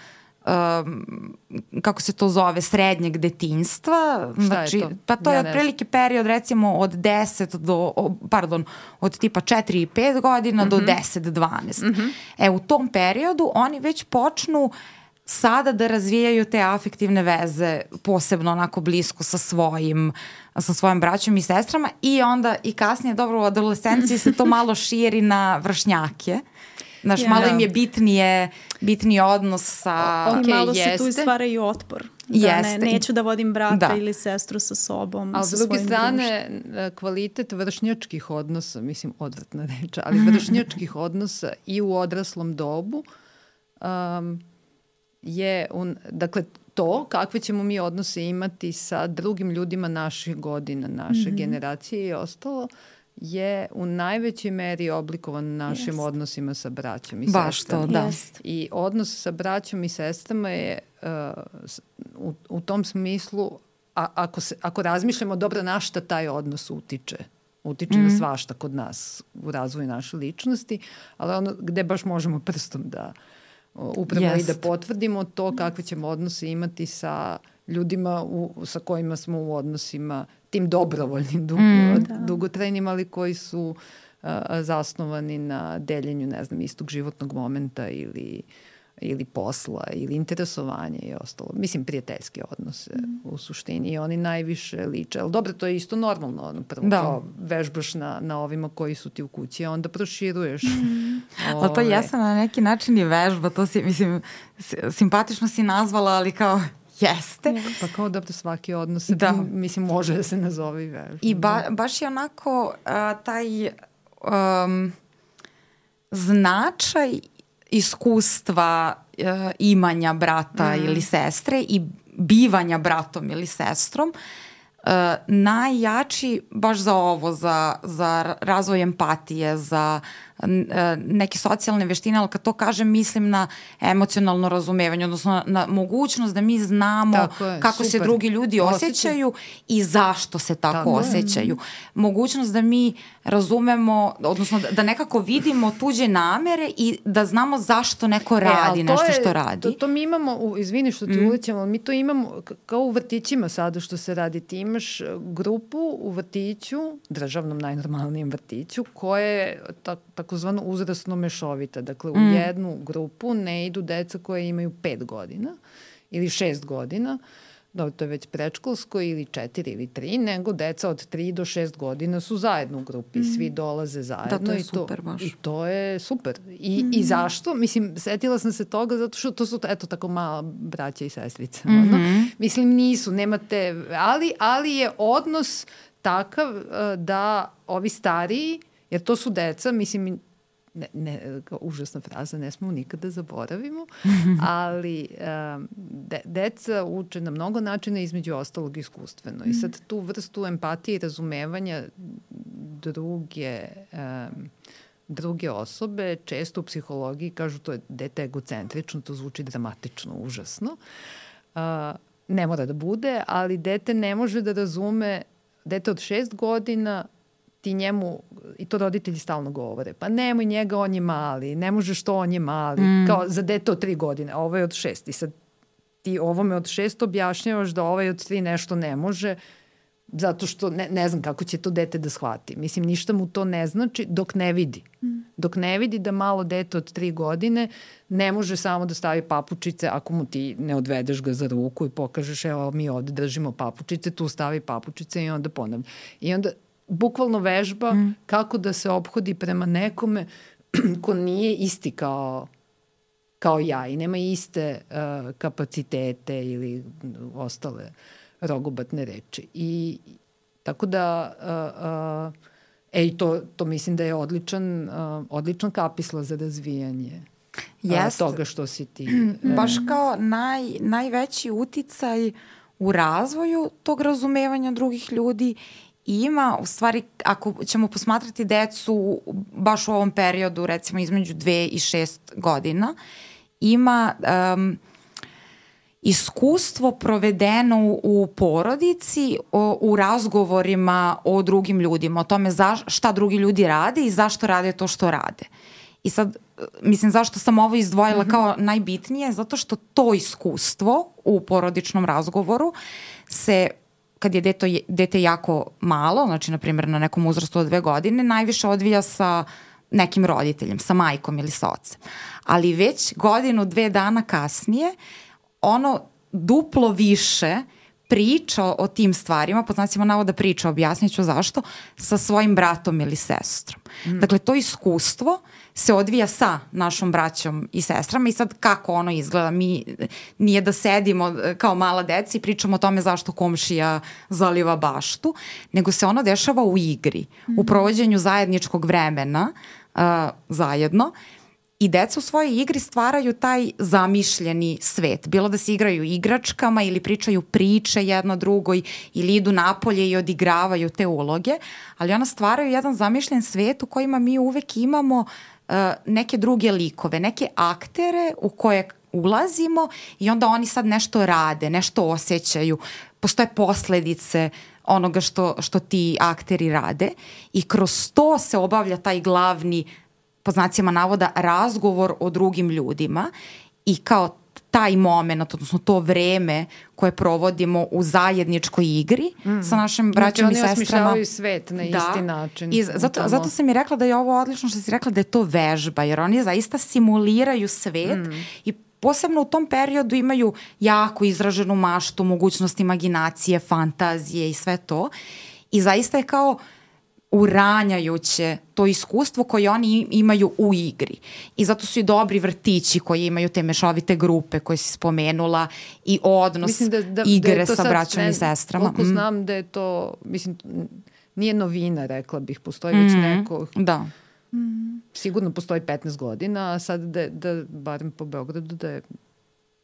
um, kako se to zove, srednjeg detinjstva. Šta znači, je to? Pa to ja je otprilike period recimo od deset do, pardon, od tipa četiri i pet godina mm-hmm. do deset dvanaest. Mm-hmm. E, u tom periodu oni već počnu sada da razvijaju te afektivne veze posebno onako blisko sa svojim sa svojim braćom i sestrama i onda i kasnije, dobro, u adolescenciji se to malo širi na vršnjake. Znaš, yeah. malo im je bitnije, bitniji odnos sa... O, okay, I malo jeste. Se tu stvaraju otpor. Da ne, neću da vodim brata da. ili sestru sa sobom. Ali s druge strane, društvom. Kvalitet vršnjačkih odnosa, mislim, odvratna reč, ali vršnjačkih odnosa i u odraslom dobu um, je, un, dakle, to kakve ćemo mi odnose imati sa drugim ljudima naših godina, naše mm-hmm. generacije i ostalo, je u najvećoj meri oblikovan našim yes. odnosima sa braćom i sestrama. Baš to, da. Yes. I odnos sa braćom i sestrama je uh, u, u tom smislu, a, ako, se, ako razmišljamo dobro na šta taj odnos utiče, utiče mm. na svašta kod nas u razvoju naše ličnosti, ali ono gde baš možemo prstom da upravo Jest. i da potvrdimo to kakve ćemo odnose imati sa ljudima u, sa kojima smo u odnosima, tim dobrovoljnim, dug, mm, dugotrajnim, ali koji su uh, zasnovani na deljenju, ne znam, istog životnog momenta ili ili posla, ili interesovanja i ostalo. Mislim, prijateljski odnose mm. u suštini i oni najviše liče. Ali dobro, to je isto normalno. Prvo da. Kao vežbaš na, na ovima koji su ti u kući, a onda proširuješ. Mm. Ove... Ali to jesam na neki način i vežba. To si, mislim, simpatično si nazvala, ali kao jeste. Pa kao da svaki odnos da. Mislim, može da se nazove i vežba. I ba, baš je onako uh, taj um, značaj iskustva uh, imanja brata mm. ili sestre i bivanja bratom ili sestrom uh, najjači baš za ovo, za, za razvoj empatije, za uh, neke socijalne veštine, ali kad to kažem mislim na emocionalno razumevanje, odnosno na, na mogućnost da mi znamo je, kako super. Se drugi ljudi osjećaju Osjećaj. I zašto se tako, tako osjećaju. Je. Mogućnost da mi razumemo, odnosno da, da nekako vidimo tuđe namere i da znamo zašto neko radi e, nešto je, što radi. To, to mi imamo, u, izvini što ti mm. ulećam, ali mi to imamo kao u vrtićima sada što se radi. Ti imaš grupu u vrtiću, državnom najnormalnijem vrtiću, koje je ta, takozvano uzrasno mešovita. Dakle, u mm. jednu grupu ne idu deca koje imaju pet godina ili šest godina, da to je već predškolsko ili četiri ili tri, nego deca od tri do šest godina su zajedno u grupi, mm. svi dolaze zajedno. Da, to je i super to, baš. I to je super. I, mm. i zašto? Mislim, setila sam se toga zato što to su, eto, tako mala braća i sestrice. Mm-hmm. Ono. Mislim, nisu, nemate, ali, ali je odnos takav uh, da ovi stariji, jer to su deca, mislim, ne, ne, kao užasna fraza, ne smemo nikada zaboravimo, ali um, de, deca uče na mnogo načina, između ostalog iskustveno. I sad tu vrstu empatije i razumevanja druge, um, druge osobe, često u psihologiji kažu to je dete egocentrično, to zvuči dramatično, užasno. Uh, ne mora da bude, ali dete ne može da razume, dete od šest godina ti njemu, i to roditelji stalno govore, pa nemoj njega, on je mali, ne možeš to, on je mali, mm. kao za dete od tri godine, a ovo je od šest. I sad ti ovome od šest objašnjavaš da ovaj od tri nešto ne može, zato što ne, ne znam kako će to dete da shvati. Mislim, ništa mu to ne znači dok ne vidi. Mm. Dok ne vidi da malo dete od tri godine ne može samo da stavi papučice ako mu ti ne odvedeš ga za ruku i pokažeš, evo mi ovde držimo papučice, tu stavi papučice i onda ponavlja. I onda bukvalno vežba mm. kako da se ophodi prema nekome ko nije isti kao, kao ja i nema iste uh, kapacitete ili ostale rogobatne reči. I tako da uh, uh, ej, to, to mislim da je odličan, uh, odličan kapisla za razvijanje uh, toga što si ti. Uh, Baš kao naj, najveći uticaj u razvoju tog razumevanja drugih ljudi ima, u stvari, ako ćemo posmatrati decu baš u ovom periodu, recimo između dve i šest godina, ima um, iskustvo provedeno u porodici, o, u razgovorima o drugim ljudima, o tome za, šta drugi ljudi rade i zašto rade to što rade. I sad, mislim, zašto sam ovo izdvojila mm-hmm. kao najbitnije? Zato što to iskustvo u porodičnom razgovoru se, kad je deto, dete jako malo, znači, na primjer, na nekom uzrastu od dve godine, najviše odvija sa nekim roditeljem, sa majkom ili sa ocem. Ali već godinu, dve dana kasnije, ono duplo više priča o tim stvarima, pod znacima navoda priča, objasnit ću zašto, sa svojim bratom ili sestrom. Mm. Dakle, to iskustvo se odvija sa našom braćom i sestrama i sad kako ono izgleda, mi nije da sedimo kao mala deca i pričamo o tome zašto komšija zaliva baštu, nego se ono dešava u igri, mm. u provođenju zajedničkog vremena uh, zajedno. I deca u svojoj igri stvaraju taj zamišljeni svet. Bilo da se igraju igračkama ili pričaju priče jedno drugoj ili idu napolje i odigravaju te uloge, ali ona stvaraju jedan zamišljen svet u kojima mi uvek imamo uh, neke druge likove, neke aktere u koje ulazimo i onda oni sad nešto rade, nešto osjećaju. Postoje posledice onoga što, što ti akteri rade i kroz to se obavlja taj glavni po znacima navoda, razgovor o drugim ljudima i kao taj moment, odnosno to vreme koje provodimo u zajedničkoj igri mm. sa našim braćom znači, i sestrama. Oni osmišljavaju svet na da. isti način. I zato, zato sam i rekla da je ovo odlično što si rekla da je to vežba, jer oni zaista simuliraju svet mm. i posebno u tom periodu imaju jako izraženu maštu, mogućnost imaginacije, fantazije i sve to. I zaista je kao uranjajuće to iskustvo koje oni imaju u igri. I zato su i dobri vrtići koji imaju te mešovite grupe koje si spomenula i odnos da, da, igre da sa braćom i sestrama. Koliko mm. znam da je to, mislim, nije novina, rekla bih, postoji mm. već neko... Da. Mm. Sigurno postoji petnaest godina, a sad da, da barem po Beogradu da je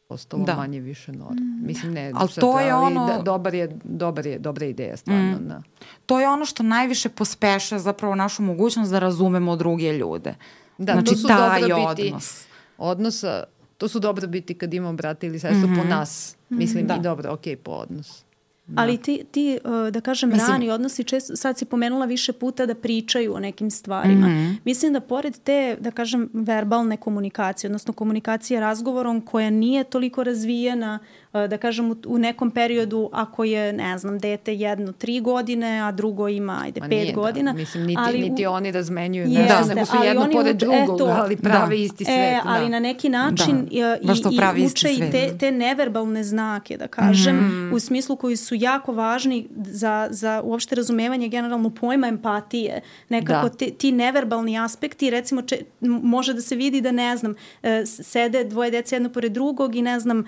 postalo da. manje više norma. Mm. Mislim, ne, ali sad, to je ali ono... da, dobar je, dobar je, dobra ideja, stvarno. Mm. Da. To je ono što najviše pospeša zapravo našu mogućnost da razumemo druge ljude. Da, znači, to su taj dobrobiti odnos. Odnosa, to su dobrobiti kad imamo brata ili sestru mm-hmm. po nas. Mislim, da. i dobro, ok, po odnos. Da. Ali ti, ti, da kažem, Mislim... rani odnosi, često, sad si pomenula više puta da pričaju o nekim stvarima. Mm-hmm. Mislim da pored te, da kažem, verbalne komunikacije, odnosno komunikacije razgovorom koja nije toliko razvijena, da kažem, u, u nekom periodu ako je, ne znam, dete jedno tri godine, a drugo ima, ajde, Ma pet nije, godina. Da. Mislim, niti, ali, niti oni razmenjuju, ne da, nego su jedno pored drugog, ali prave da. isti svet. E, ali da. na neki način da. i, i uče i te, te neverbalne znake, da kažem, mm-hmm. u smislu koji su jako važni za, za uopšte razumevanje generalno pojma empatije. Nekako te, ti neverbalni aspekti, recimo, če, može da se vidi da, ne znam, sede dvoje dece jedno pored drugog i, ne znam,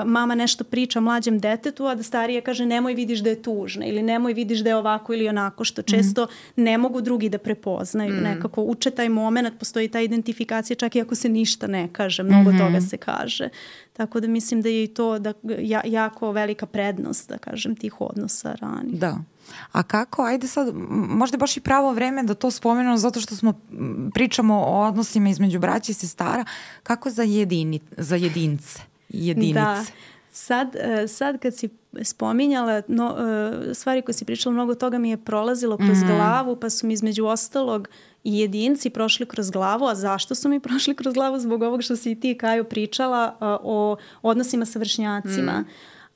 mama nešto priča mlađem detetu, a da starija kaže nemoj vidiš da je tužna ili nemoj vidiš da je ovako ili onako, što često mm. ne mogu drugi da prepoznaju. Mm. Nekako uče taj moment, postoji ta identifikacija čak i ako se ništa ne kaže, mnogo mm-hmm. toga se kaže. Tako da mislim da je i to da, ja, jako velika prednost, da kažem, tih odnosa ranih. Da. A kako, ajde sad, možda je baš i pravo vreme da to spomenemo zato što smo pričamo o odnosima između braća i sestara, kako za, jedini, za jedince, jedinice? Da. Sad, sad kad si spominjala no, stvari koje si pričala, mnogo toga mi je prolazilo kroz mm-hmm. glavu, pa su mi između ostalog i jedinci prošli kroz glavu. A zašto su mi prošli kroz glavu? Zbog ovog što si i ti, Kajo, pričala o odnosima sa vršnjacima. Mm.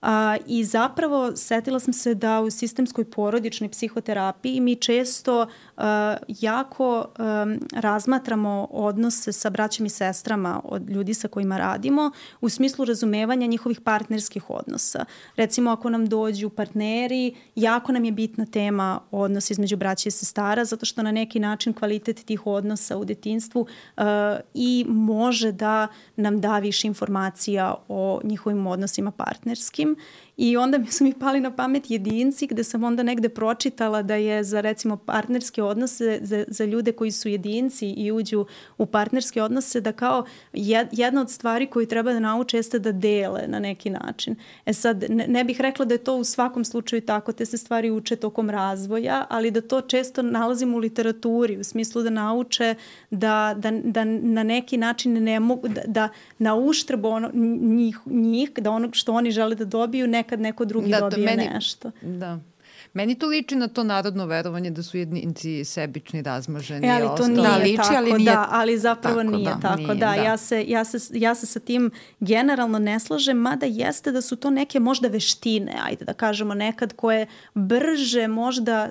A, I zapravo setila sam se da u sistemskoj porodičnoj psihoterapiji mi često a, jako a, razmatramo odnose sa braćom i sestrama od ljudi sa kojima radimo u smislu razumevanja njihovih partnerskih odnosa. Recimo, ako nam dođu partneri, jako nam je bitna tema odnos između braća i sestara, zato što na neki način kvalitet tih odnosa u detinjstvu a, i može da nam da više informacija o njihovim odnosima partnerskim. I onda mi su mi pali na pamet jedinci, gde sam onda negde pročitala da je za, recimo, partnerske odnose, za, za ljude koji su jedinci i uđu u partnerske odnose, da kao jedna od stvari koju treba da nauče jeste da dele na neki način. E sad, ne, ne bih rekla da je to u svakom slučaju tako, te se stvari uče tokom razvoja, ali da to često nalazimo u literaturi, u smislu da nauče da, da, da na neki način ne mogu, da, da na uštrb ono, njih, njih, da ono što oni žele da dobiju, nekad neko drugi da, dobije meni, nešto. Da. Meni to liči na to narodno verovanje da su jedinci sebični, razmaženi. E, ali to ostalo. nije da, liči, tako, ali nije, da, ali zapravo tako, nije da, tako. nije, da, da. Ja, se, ja, se, ja se sa tim generalno ne slažem, mada jeste da su to neke možda veštine, ajde da kažemo nekad, koje brže možda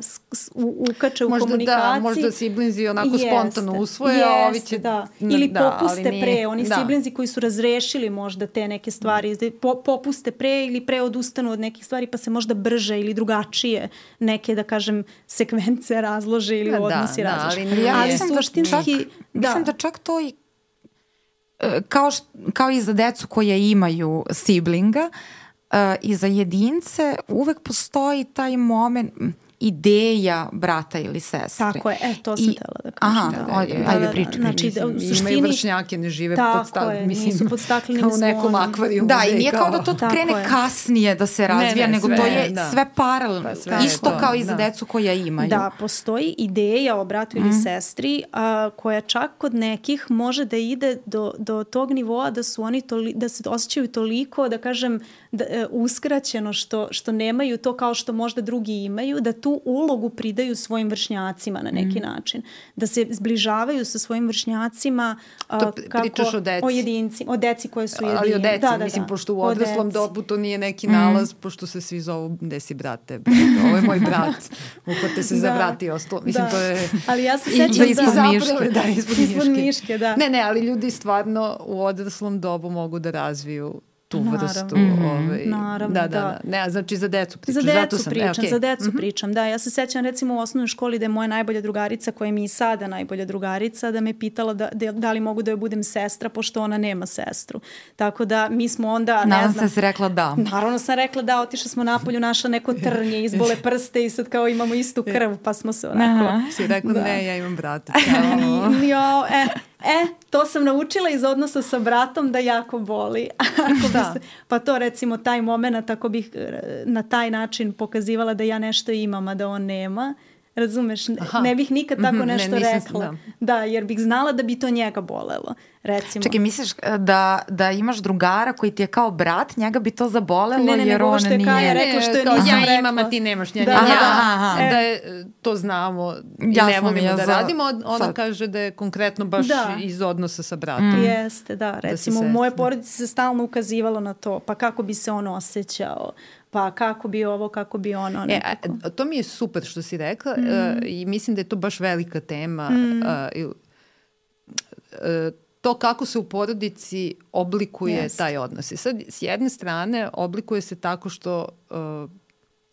u, ukače u možda komunikaciji. Da, možda siblinzi onako jeste, spontano usvoje, jeste, a ovi će... Da. Ili da, popuste pre, oni da. siblinzi koji su razrešili možda te neke stvari, po, popuste pre ili pre odustanu od nekih stvari, pa se možda brže ili drugačije neke, da kažem, sekvence razlože ili da, odnosi da, razlože. Da, ali, ja ali mislim, suštinski, da čak, da. mislim da čak to i kao, š, kao i za decu koje imaju siblinga uh, i za jedince uvek postoji taj moment ideja brata ili sestre. Tako je, e, to sam I, tela da kažem. Aha, da, ajde, da, ajde da, pričaj. Znači, da, u suštini... Imaju vršnjake, ne žive pod staklenim, mislim, nisu pod staklenim kao u nekom akvarijumu. Da, i nije kao da to krene je. kasnije da se razvija, ne, ne, nego sve, to je da. sve paralelno. Pa, isto to, kao i za da. decu koja imaju. Da, postoji ideja o bratu ili mm. sestri a, koja čak kod nekih može da ide do, do tog nivoa da su oni toli, da se osjećaju toliko, da kažem, da, e, uskraćeno što, što nemaju to kao što možda drugi imaju, da tu tu ulogu pridaju svojim vršnjacima na neki mm. način. Da se zbližavaju sa svojim vršnjacima uh, to kako, pričaš o deci. O jedinci, o deci koje su jedinci. Ali o deci, da, da, mislim, da. pošto u odraslom dobu to nije neki nalaz, mm. pošto se svi zovu gde si brate, brate, ovo je moj brat, uhvate se da. za brat i ostalo. Mislim, da. to je... Ali ja se sećam da... Ispod da, miške. Da, ispod, ispod miške. miške, da. Ne, ne, ali ljudi stvarno u odraslom dobu mogu da razviju tu Naravno. vrstu. Mm-hmm. Ovaj, Naravno, da, da, da. da. Ne, znači za decu pričam. Za decu Zato sam, pričam, e, okay. za decu mm-hmm. pričam, da. Ja se sećam recimo u osnovnoj školi da je moja najbolja drugarica, koja mi je i sada najbolja drugarica, da me pitala da, da, da li mogu da joj budem sestra, pošto ona nema sestru. Tako da mi smo onda, ne Nadam znam... se si rekla da. Naravno sam rekla da, otišla smo napolju, našla neko trnje, izbole prste i sad kao imamo istu krv, pa smo se onako... Si rekla da. Ne, ja imam brata. Jo, e... E, to sam naučila iz odnosa sa bratom da jako boli. Ako da. Se, pa to recimo taj moment, ako bih na taj način pokazivala da ja nešto imam, a da on nema, razumeš, ne, ne bih nikad tako nešto ne, nisam, rekla. Da. da, jer bih znala da bi to njega bolelo. Recimo. Čekaj, misliš da, da imaš drugara koji ti je kao brat, njega bi to zabolelo ne, ne, jer on nije... Ne, ne, Kaja rekla što je nisam ja rekla. Ja imam, a ti nemaš nja. Da, ja, aha, aha. Da je, to znamo i ja ne volimo ja da za... radimo. Ona sad. Kaže da je konkretno baš da. Iz odnosa sa bratom. Mm. Jeste, da. Recimo, da u moje porodici se stalno ukazivalo na to. Pa kako bi se on osjećao? Pa kako bi ovo, kako bi ono. Nekako. E, to mi je super što si rekla mm. uh, i mislim da je to baš velika tema. Mm. Uh, uh, to kako se u porodici oblikuje yes. taj odnos. I sad, s jedne strane, oblikuje se tako što uh,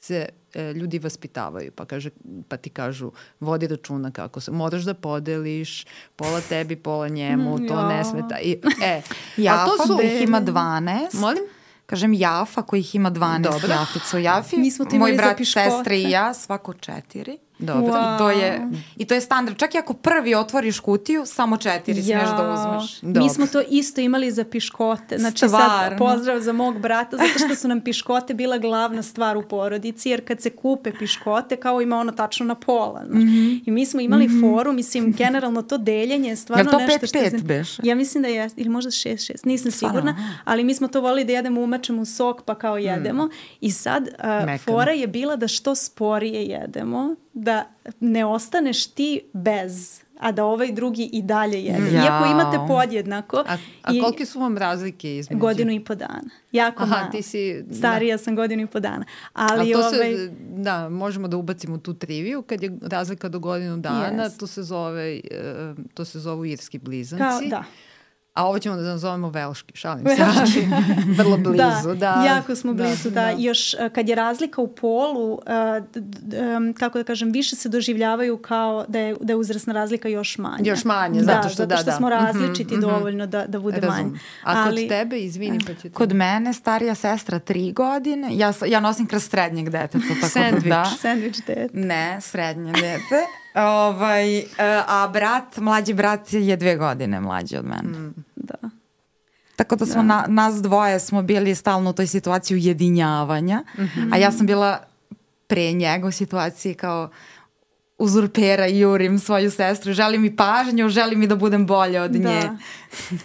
se uh, ljudi vaspitavaju, pa, kaže, pa ti kažu, vodi računa kako se, moraš da podeliš, pola tebi, pola njemu, to ja. Ne smeta. I, e, Jafa to su, da ih ima dvanaest. Molim? Kažem Jafa kojih ima dvanaest. Dobro. Jafica u Jafi. Moj brat, sestre i ja, svako četiri. Dobro. Wow. I, to je, I to je standard. Čak i ako prvi otvoriš kutiju, samo četiri ja. Smiješ da uzmeš. Dobro. Mi smo to isto imali za piškote. Znači Stvarno. Sad pozdrav za mog brata, zato što su nam piškote bila glavna stvar u porodici, jer kad se kupe piškote, kao ima ono tačno na pola. Mm-hmm. I mi smo imali mm-hmm. foru, mislim, generalno to deljenje je stvarno to nešto pet, što... Jel to pet pet beše? Ja mislim da je, ili možda šest šest, nisam sigurna, ali mi smo to volili da jedemo umačem u sok, pa kao jedemo. Mm. I sad uh, fora je bila da što sporije jedemo, da ne ostaneš ti bez, a da ovaj drugi i dalje jede. Ja. Iako imate podjednako. A, a kolike su vam razlike između? Godinu i po dana. Jako Aha, malo. Ti si... Starija da. Sam godinu i po dana. Ali a to ovaj... se, da, možemo da ubacimo tu triviju. Kad je razlika do godinu dana, yes. to se zove, to se zovu irski blizanci. Kao, da. A ovo ćemo da nazovemo velški, šalim se. Vrlo blizu, da, da. Jako smo blizu, da. da. Još kad je razlika u polu, uh, d, d, um, kako da kažem, više se doživljavaju kao da je, da je uzrasna razlika još manja. Još manje, da, zato što, zato što da, da. smo različiti mm-hmm. dovoljno da, da bude Razum. manje. A kod Ali, tebe, izvini, pa ćete... Kod mene starija sestra tri godine, ja, ja nosim kroz srednjeg deteta. Sandvič, da. sandvič dete. Ne, srednje dete. Ovaj, a brat, mlađi brat je dve godine mlađi od mene. Mm. Da. Tako da smo da. Na, nas dvoje smo bili stalno u toj situaciji ujedinjavanja, mm-hmm. a ja sam bila pre njega u situaciji kao uzurpera i jurim svoju sestru, želim mi pažnju, želim mi da budem bolja od da. Nje.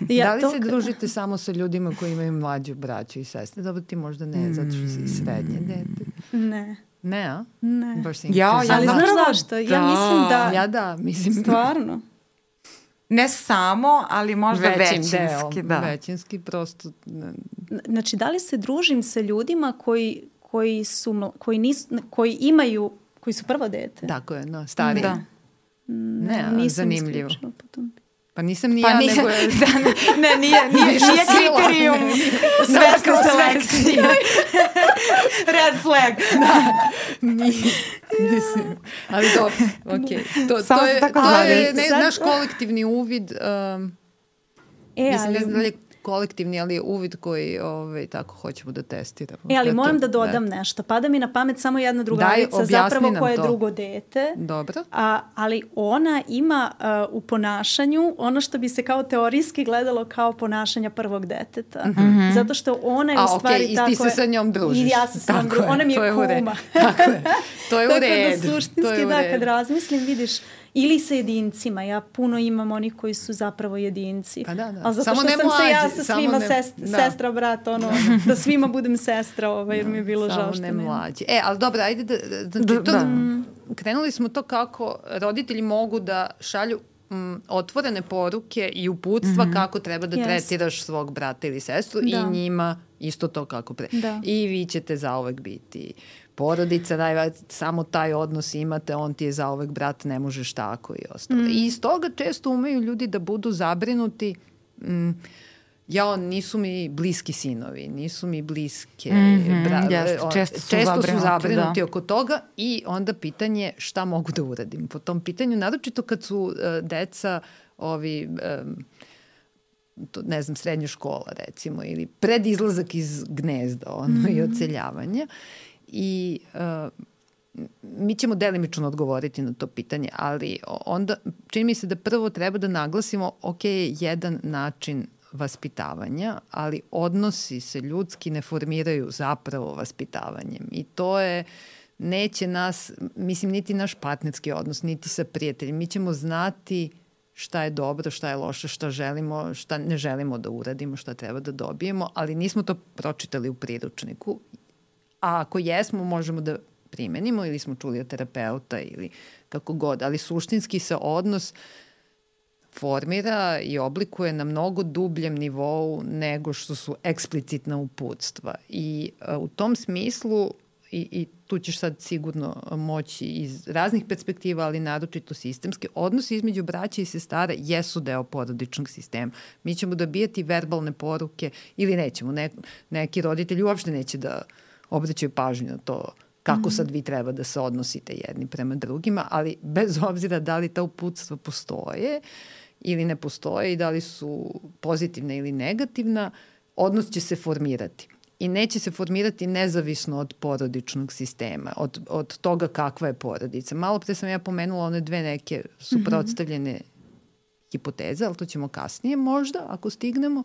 Ja, da li to... se družite samo sa ljudima koji imaju mlađu braću i sestre? Dobro, ti možda ne, zato što si srednje dete. Ne. Ne, a? Ne. Baš ja, ja ali znaš zašto? Da. Ja mislim da... Ja da, mislim. Stvarno. Ne samo, ali možda Većim većinski. Deo, da. Većinski prosto. Znači, da li se družim sa ljudima koji, koji, su, koji, nisu, koji imaju, koji su prvo dete? Tako je, no, stariji. Da. Ne, nisam zanimljivo. Potom. Pa nisam ni pa ja, nije, nego je... da, ne, nije, nije, nije kriterijum svesne selekcije. Red flag. Da, nije. Mislim, ali dobro, okej. Okay. To, to je, to je ne, naš kolektivni uvid, um, e, mislim, ne znam da li je kolektivni, ali je uvid koji ovaj, tako hoćemo da testiramo. E, ali da moram to, da dodam da. nešto. Pada mi na pamet samo jedna drugarica, Daj, zapravo koja je to. drugo dete. Dobro. A, ali ona ima uh, u ponašanju ono što bi se kao teorijski gledalo kao ponašanja prvog deteta. Mm-hmm. Zato što ona je A, u stvari okay, tako... I ti se sa njom družiš. I ja se sa njom družim. Ona mi je, je kuma. Tako je. To je u redu. Tako da suštinski, da, kad razmislim, vidiš, ili sa jedincima. Ja puno imam onih koji su zapravo jedinci. Pa da, da. Ali zato samo što ne sam mlađi, se ja sa svima ne, sest, da. sestra, brat, ono, da svima budem sestra, ovaj, jer mi je bilo samo žao što ne nema. mlađi. E, ali dobro, ajde da, znači, da, to, da. krenuli smo to kako roditelji mogu da šalju m, otvorene poruke i uputstva mm-hmm. kako treba da yes. tretiraš svog brata ili sestru da. i njima isto to kako pre. Da. I vi ćete zauvek biti porodica, daj, samo taj odnos imate, on ti je zauvek brat, ne možeš tako i ostalo. Mm. I iz toga često umeju ljudi da budu zabrinuti, mm, ja, nisu mi bliski sinovi, nisu mi bliske, mm-hmm, bra, jest, on, često su često zabrinuti, su zabrinuti da. oko toga i onda pitanje šta mogu da uradim po tom pitanju, naročito kad su uh, deca ovi... Um, to, ne znam, srednja škola recimo ili pred izlazak iz gnezda ono, mm-hmm. i odseljavanja i uh, mi ćemo delimično odgovoriti na to pitanje, ali onda čini mi se da prvo treba da naglasimo ok, jedan način vaspitavanja, ali odnosi se ljudski ne formiraju zapravo vaspitavanjem i to je neće nas, mislim, niti naš partnerski odnos, niti sa prijateljima, mi ćemo znati šta je dobro, šta je loše, šta želimo, šta ne želimo da uradimo, šta treba da dobijemo, ali nismo to pročitali u priručniku. A ako jesmo, možemo da primenimo ili smo čuli od terapeuta ili kako god, ali suštinski se odnos formira i oblikuje na mnogo dubljem nivou nego što su eksplicitna uputstva. I a, u tom smislu I, i tu ćeš sad sigurno moći iz raznih perspektiva, ali naročito sistemske, odnosi između braća i sestara jesu deo porodičnog sistema. Mi ćemo dobijati verbalne poruke ili nećemo. Ne, neki roditelji uopšte neće da obraćaju pažnju na to kako sad vi treba da se odnosite jedni prema drugima, ali bez obzira da li ta uputstva postoje ili ne postoje i da li su pozitivna ili negativna, odnos će se formirati. I neće se formirati nezavisno od porodičnog sistema, od, od toga kakva je porodica. Malo pre sam ja pomenula one dve neke suprotstavljene mm-hmm. hipoteze, ali to ćemo kasnije možda, ako stignemo.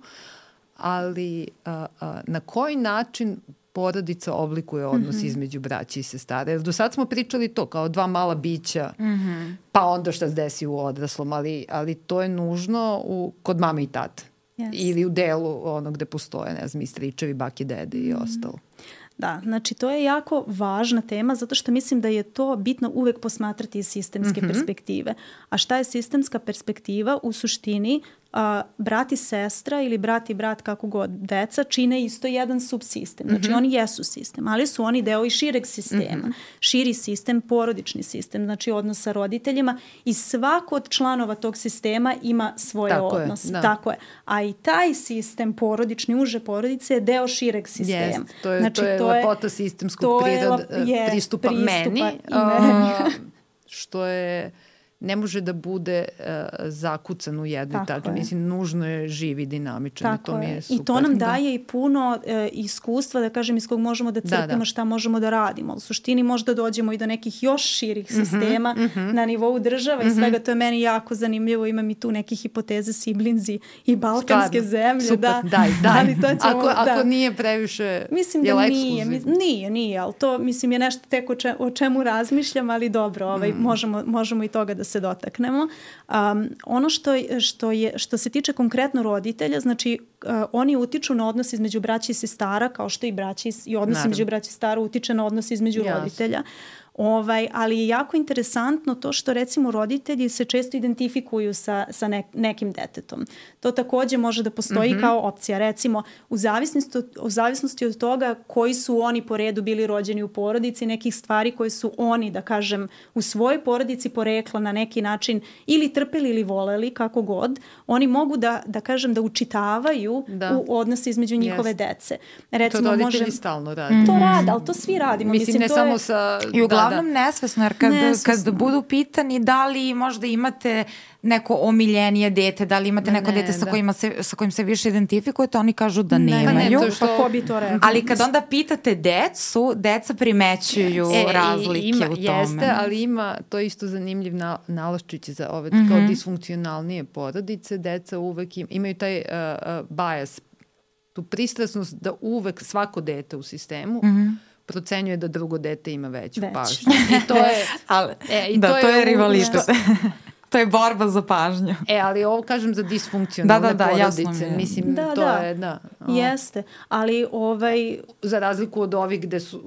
Ali a, a, na koji način porodica oblikuje odnos mm-hmm. između braća i sestara? Jer do sad smo pričali to kao dva mala bića, mm-hmm. pa onda šta se desi u odraslom, ali, ali to je nužno u, kod mame i tate. Yes. Ili u delu ono gde postoje, ne znam, i stričevi, bake, dede i ostalo. Da, znači to je jako važna tema zato što mislim da je to bitno uvek posmatrati iz sistemske mm-hmm. perspektive. A šta je sistemska perspektiva? U suštini a, brat i sestra ili brat i brat kako god deca čine isto jedan subsistem. Znači mm-hmm. oni jesu sistem, ali su oni deo i šireg sistema. Mm-hmm. Širi sistem, porodični sistem, znači odnos sa roditeljima i svako od članova tog sistema ima svoje Tako odnose. Je, da. Tako je. A i taj sistem porodični, uže porodice je deo šireg sistema. Yes, to je, znači, to je to lepota sistemskog prirod, je, pristupa, pristupa meni, i meni. Uh, što je ne može da bude uh, zakucan u jednoj tački. Mislim, nužno je živ i dinamičan. Tako to mi je super. I to nam da. daje i puno e, iskustva, da kažem, iz kog možemo da crpimo da, da. šta možemo da radimo. U suštini možda dođemo i do nekih još širih mm-hmm, sistema mm-hmm. na nivou država mm-hmm. i svega. To je meni jako zanimljivo. Imam i tu neke hipoteze siblinzi i balkanske Stvarno. zemlje. Super, da. daj, daj. Ali to ćemo, ako, da. ako nije previše, mislim je da li nije, mislim, nije, nije, ali to mislim je nešto tek o, če, o čemu razmišljam, ali dobro, ovaj, mm. možemo, možemo i toga da se dotaknemo. Um, ono što, što, je, što se tiče konkretno roditelja, znači uh, oni utiču na odnos između braća i sestara, kao što i braća i odnos Naravno. između braća i sestara utiče na odnos između Jasne. roditelja. Ovaj, ali je jako interesantno to što recimo roditelji se često identifikuju sa, sa ne, nekim detetom. To takođe može da postoji mm-hmm. kao opcija. Recimo, u zavisnosti, u zavisnosti od toga koji su oni po redu bili rođeni u porodici, nekih stvari koje su oni, da kažem, u svojoj porodici porekla na neki način ili trpeli ili voleli, kako god, oni mogu da, da kažem, da učitavaju da. u odnosi između njihove yes. dece. Recimo, to roditelji može, stalno radi. To rade, ali to svi radimo. Mislim, Mislim ne to samo je, sa... Uglavnom da, da. nesvesno, jer kad, nesvesno. kad budu pitani da li možda imate neko omiljenije dete, da li imate neko ne, dete sa, da. kojima se, sa kojim se više identifikujete, oni kažu da ne, nemaju. Ne, to što... Pa ko bi to rekao? Ali kad onda pitate decu, deca primećuju e, razlike ima, u tome. Jeste, ali ima to isto zanimljiv na, nalaščić za ove mm-hmm. kao disfunkcionalnije porodice. Deca uvek im, imaju taj uh, uh, bias, tu pristrasnost da uvek svako dete u sistemu mm-hmm. procenjuje da drugo dete ima veću Već. pažnju. I to je, ali, e, i da, to, to je, je rivalitet. To je borba za pažnju. E, ali ovo kažem za disfunkcionalne da, da, da, porodice. Mi Mislim, da, to da. je, da. O. Jeste, ali ovaj... Za razliku od ovih gde su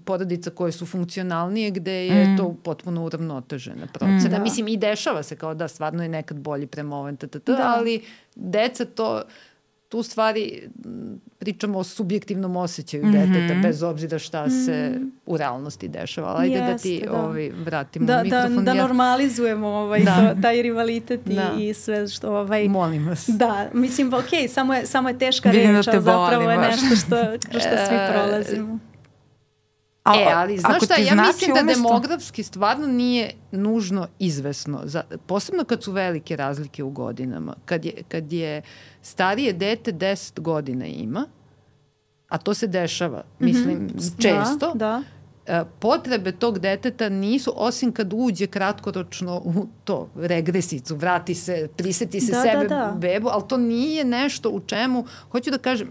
porodica koje su funkcionalnije, gde je mm. to potpuno uravnotežena procena. Mm. Mislim, i dešava se kao da stvarno je nekad bolji prema ovom ttt, da. Ali deca to... Tu stvari pričamo o subjektivnom osjećaju mm-hmm. deteta, bez obzira šta se mm. u realnosti dešava. Ajde Jeste, da ti da. Ovaj, vratimo da, mikrofon. Da, da ja... normalizujemo ovaj, da. to, taj rivalitet i, da. i sve što... Ovaj, Molim vas. Da, mislim, ok, samo je, samo je teška reč, ali zapravo je nešto što, kroz što svi prolazimo. A, e, ali znaš šta, ja znači mislim da umesto... demografski stvarno nije nužno izvesno. Za, posebno kad su velike razlike u godinama. Kad je, kad je starije dete deset godina ima, a to se dešava, mislim, mm-hmm. često, da, da. Potrebe tog deteta nisu, osim kad uđe kratkoročno u to, regresicu, vrati se, priseti se da, sebe, da, da. bebu, ali to nije nešto u čemu, hoću da kažem,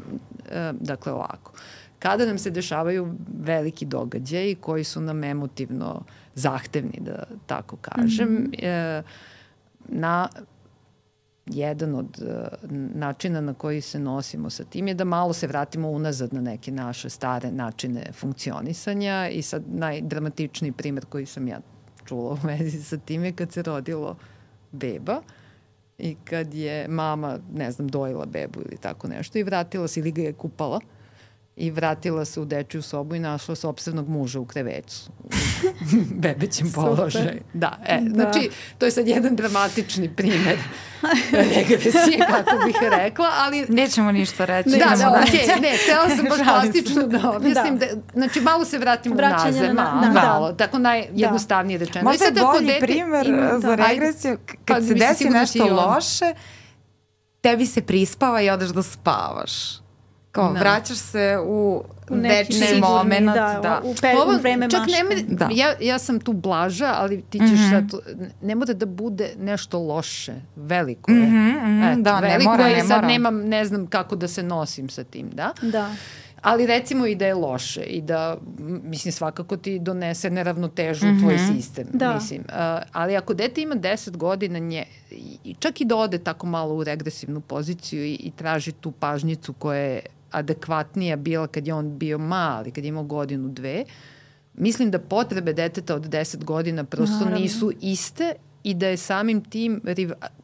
dakle ovako, kada nam se dešavaju veliki događaji koji su nam emotivno zahtevni, da tako kažem, mm-hmm. e, na jedan od e, načina na koji se nosimo sa tim je da malo se vratimo unazad na neke naše stare načine funkcionisanja i sad najdramatičniji primer koji sam ja čula u vezi sa tim je kad se rodilo beba i kad je mama, ne znam, dojila bebu ili tako nešto i vratila se ili ga je kupala i vratila se u dečiju sobu i našla sopstvenog muža u krevecu. U bebećem položaju. Da, e, da. Znači, to je sad jedan dramatični primer regresije, kako bih rekla, ali... Nećemo ništa reći. Ne, da, da, okej, okay, ne, htjela sam baš plastično da objasnim. Da. Da, znači, malo se vratimo Vraćanje nazad, na, malo, na, malo, da. Tako najjednostavnije da. rečeno. Možda je bolji dete, primer ima, za da, regresiju, kad pa, se desi nešto loše, tebi se prispava i odeš da spavaš. Kao, da. Vraćaš se u, u dečni moment. Da, da. u, pe, Ovo, u vreme čak mašte. Ne, da. ja, ja sam tu blaža, ali ti ćeš mm-hmm. sad, ne mora da bude nešto loše. Veliko je. Mm-hmm, mm-hmm, Et, da, veliko ne mora, je ne i sad mora. nemam, ne znam kako da se nosim sa tim, da? Da. Ali recimo i da je loše i da, mislim, svakako ti donese neravnotežu mm-hmm. u tvoj sistem. Da. Mislim. Uh, ali ako dete ima deset godina, nje, i čak i da ode tako malo u regresivnu poziciju i, i traži tu pažnjicu koja je adekvatnija bila kad je on bio mali, kad je imao godinu, dve, mislim da potrebe deteta od deset godina prosto Naravno. nisu iste i da je samim tim,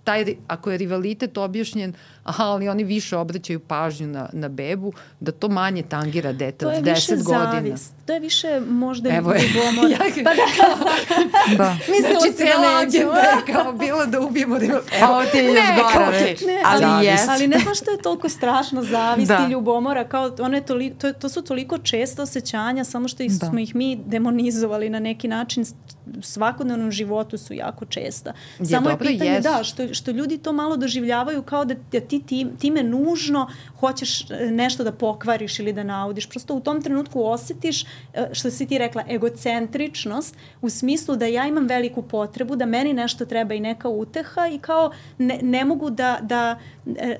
taj, ako je rivalitet objašnjen, aha, ali oni više obraćaju pažnju na, na bebu, da to manje tangira dete od deset godina. To je više zavist. To je više možda Evo je. ljubomora. Pa da. da. Mislila znači, si da neću. je kao bilo da ubijemo rivalitet. Evo, ovo ti je još gore reč. Ali, ali, yes. ali ne znam što je toliko strašno zavist da. i ljubomora. Kao, one toli, to, to su toliko česta osjećanja, samo što ih, smo ih mi demonizovali na neki način. Svakodnevnom životu su jako česta. Je, samo dobro, je pitanje jest. da, što, što ljudi to malo doživljavaju kao da, da ti, ti time nužno hoćeš nešto da pokvariš ili da naudiš. Prosto u tom trenutku osjetiš, što si ti rekla, egocentričnost u smislu da ja imam veliku potrebu, da meni nešto treba i neka uteha i kao ne, ne mogu da, da,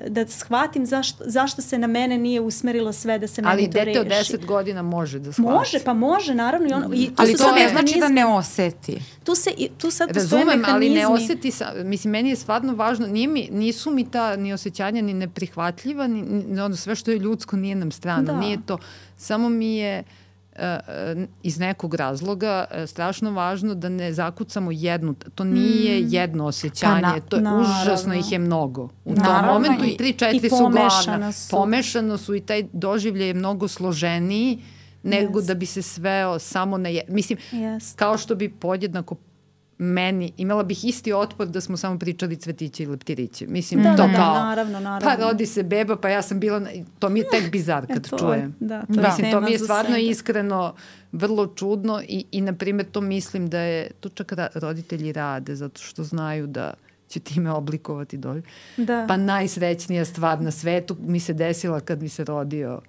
da shvatim zašto, zašto se na mene nije usmerilo sve da se meni ali to reši. Ali dete od deset godina može da shvati. Može, pa može, naravno. I ono, i ali to ne znači da ne oseti. Tu, se, tu sad postoje Razumem, mehanizmi. ali ne osjeti, sa, mislim, meni je stvarno važno, nije mi, nisu mi ta ni osjećanja ni neprihvatljiva, ni, ni ono, sve što je ljudsko nije nam strano, da. Nije to, samo mi je uh, iz nekog razloga uh, strašno važno da ne zakucamo jednu, to nije mm. jedno osjećanje, pa na, to je naravno. Užasno ih je mnogo. U naravno, tom momentu i tri, četiri su glavna. Su. Pomešano su i taj doživljaj je mnogo složeniji nego yes. da bi se sveo samo na jedno. Mislim, yes. kao što bi podjednako meni, imala bih isti otpor da smo samo pričali cvetiće i leptiriće. Mislim, da, to da, kao, naravno, naravno. pa rodi se beba, pa ja sam bila, to mi je tek bizar kad e, čujem. Da, to, Mislim, je to mi je stvarno sebe. Iskreno vrlo čudno i, i na primjer, to mislim da je, to čak roditelji rade, zato što znaju da će time oblikovati dolje. Da. Pa najsrećnija stvar na svetu mi se desila kad mi se rodio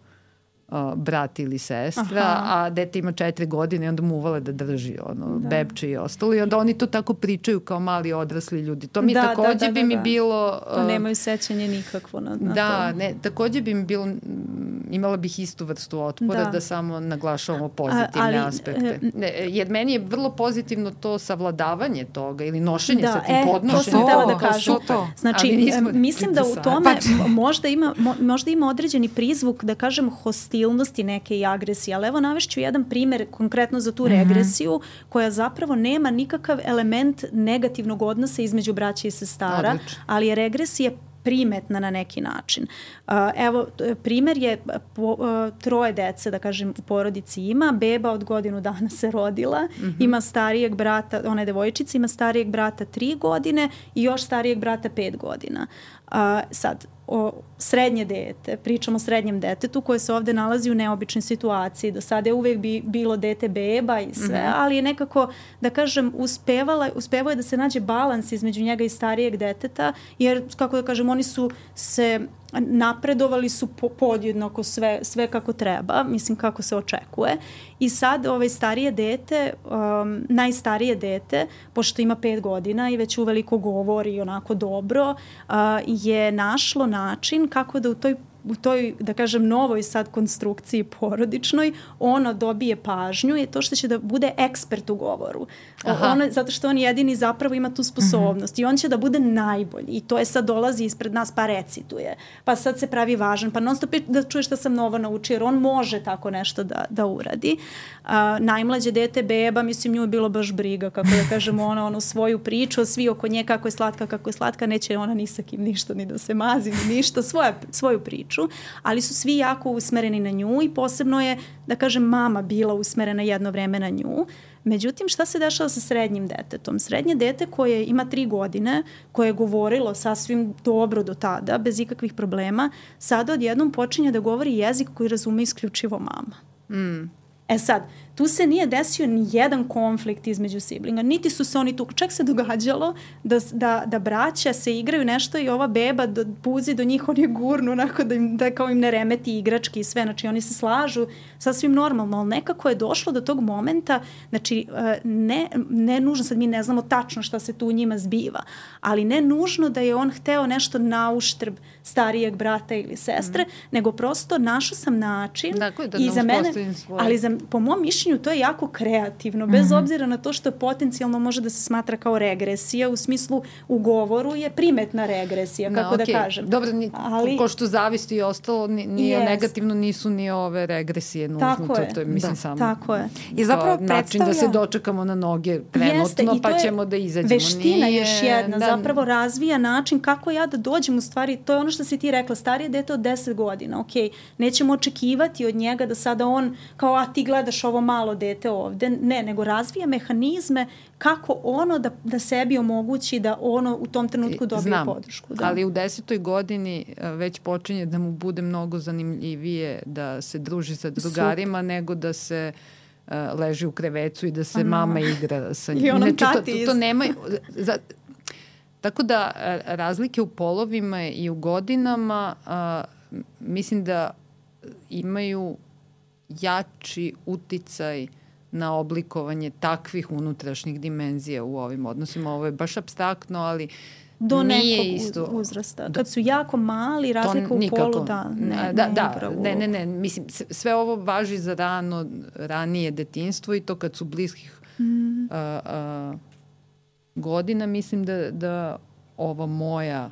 Uh, brat ili sestra, aha. a dete ima četiri godine i onda mu uvale da drži ono, da. Bebče i ostalo i onda oni to tako pričaju kao mali odrasli ljudi. To mi da, takođe da, da, bi da, mi da. bilo... Uh, to nemaju sećanje nikakvo na, na da, to. ne, takođe bi mi bilo imala bih istu vrstu otpora da, da samo naglašavamo pozitivne ali, aspekte. Ne, jer meni je vrlo pozitivno to savladavanje toga ili nošenje da, sa tim e, podnošenjem. To sam htela da kažem. To. Znači, mislim da u tome možda ima, možda ima određeni prizvuk, da kažem, hostilnosti neke i agresije. Ali evo navešću jedan primer konkretno za tu mm-hmm. regresiju koja zapravo nema nikakav element negativnog odnosa između braće i sestara, Odlično. ali je regresija primetna na neki način. Uh, evo, primer je po, uh, troje dece, da kažem, u porodici ima. Beba od godinu dana se rodila, mm-hmm. ima starijeg brata, ona je devojčica, ima starijeg brata tri godine i još starijeg brata pet godina. Uh, sad, o srednje dete, pričamo o srednjem detetu koje se ovde nalazi u neobičnoj situaciji. Do sada je uvek bi, bilo dete beba i sve, mm-hmm. ali je nekako, da kažem, uspevala, uspevao je da se nađe balans između njega i starijeg deteta, jer, kako da kažem, oni su se napredovali su po, podjednako sve, sve kako treba, mislim kako se očekuje. I sad ovaj starije dete, um, najstarije dete, pošto ima pet godina i već uveliko govori onako dobro, uh, je našlo način kako da u toj u toj, da kažem, novoj sad konstrukciji porodičnoj, ono dobije pažnju je to što će da bude ekspert u govoru. Ono, zato što on jedini zapravo ima tu sposobnost mm-hmm. i on će da bude najbolji i to je sad dolazi ispred nas pa recituje, pa sad se pravi važan, pa non stop da čuje šta sam novo naučio, jer on može tako nešto da, da uradi. Uh, najmlađe dete beba, mislim, nju je bilo baš briga, kako da kažemo, ona ono svoju priču, svi oko nje kako je slatka, kako je slatka, neće ona ni sa kim ništa, ni da se mazi, ni ništa, svoja, svoju priču. Ali su svi jako usmereni na nju i posebno je, da kažem, mama bila usmerena jedno vreme na nju. Međutim, šta se dešava sa srednjim detetom? Srednje dete koje ima tri godine, koje je govorilo sasvim dobro do tada, bez ikakvih problema, sada odjednom počinje da govori jezik koji razume isključivo mama. Mm. E sad, tu se nije desio ni jedan konflikt između siblinga, niti su se oni tu, čak se događalo da, da, da braća se igraju nešto i ova beba do, puzi do njih, oni gurnu onako da, im, da kao im ne remeti igrački i sve, znači oni se slažu sasvim normalno, ali nekako je došlo do tog momenta, znači ne, ne nužno, sad mi ne znamo tačno šta se tu u njima zbiva, ali ne nužno da je on hteo nešto na uštrb starijeg brata ili sestre, mm. nego prosto našao sam način dakle, da i za mene, ali za, po mom mišljenju to je jako kreativno, bez mm-hmm. obzira na to što potencijalno može da se smatra kao regresija, u smislu u govoru je primetna regresija, kako no, okay. da kažem. Dobro, ni, ali, ko što zavisti i ostalo, nije yes. negativno, nisu ni ove regresije nužno. Tako to, je. to je, mislim, da. samo tako je. I zapravo predstavlja... način da se dočekamo na noge trenutno, pa ćemo da izađemo. Veština nije, još jedna, da, zapravo razvija način kako ja da dođem u stvari, to je ono što si ti rekla, starije dete od deset godina, ok, nećemo očekivati od njega da sada on, kao a ti gledaš ovo malo dete ovde, ne, nego razvija mehanizme kako ono da, da sebi omogući da ono u tom trenutku dobije Znam, podršku. Da. Ali u desetoj godini već počinje da mu bude mnogo zanimljivije da se druži sa drugarima Super. nego da se uh, leži u krevecu i da se Aha. mama igra sa njim. I onom znači, tati to, to, to nema... Za, tako da razlike u polovima i u godinama uh, mislim da imaju jači uticaj na oblikovanje takvih unutrašnjih dimenzija u ovim odnosima. Ovo je baš apstraktno, ali do nije nekog isto. uzrasta. Kad su jako mali, razlika u polu, da. Ne, da, ne, da, ne, ne, ne. Mislim, sve ovo važi za rano, ranije detinjstvo i to kad su bliskih mm. a, a, godina, mislim da, da ova moja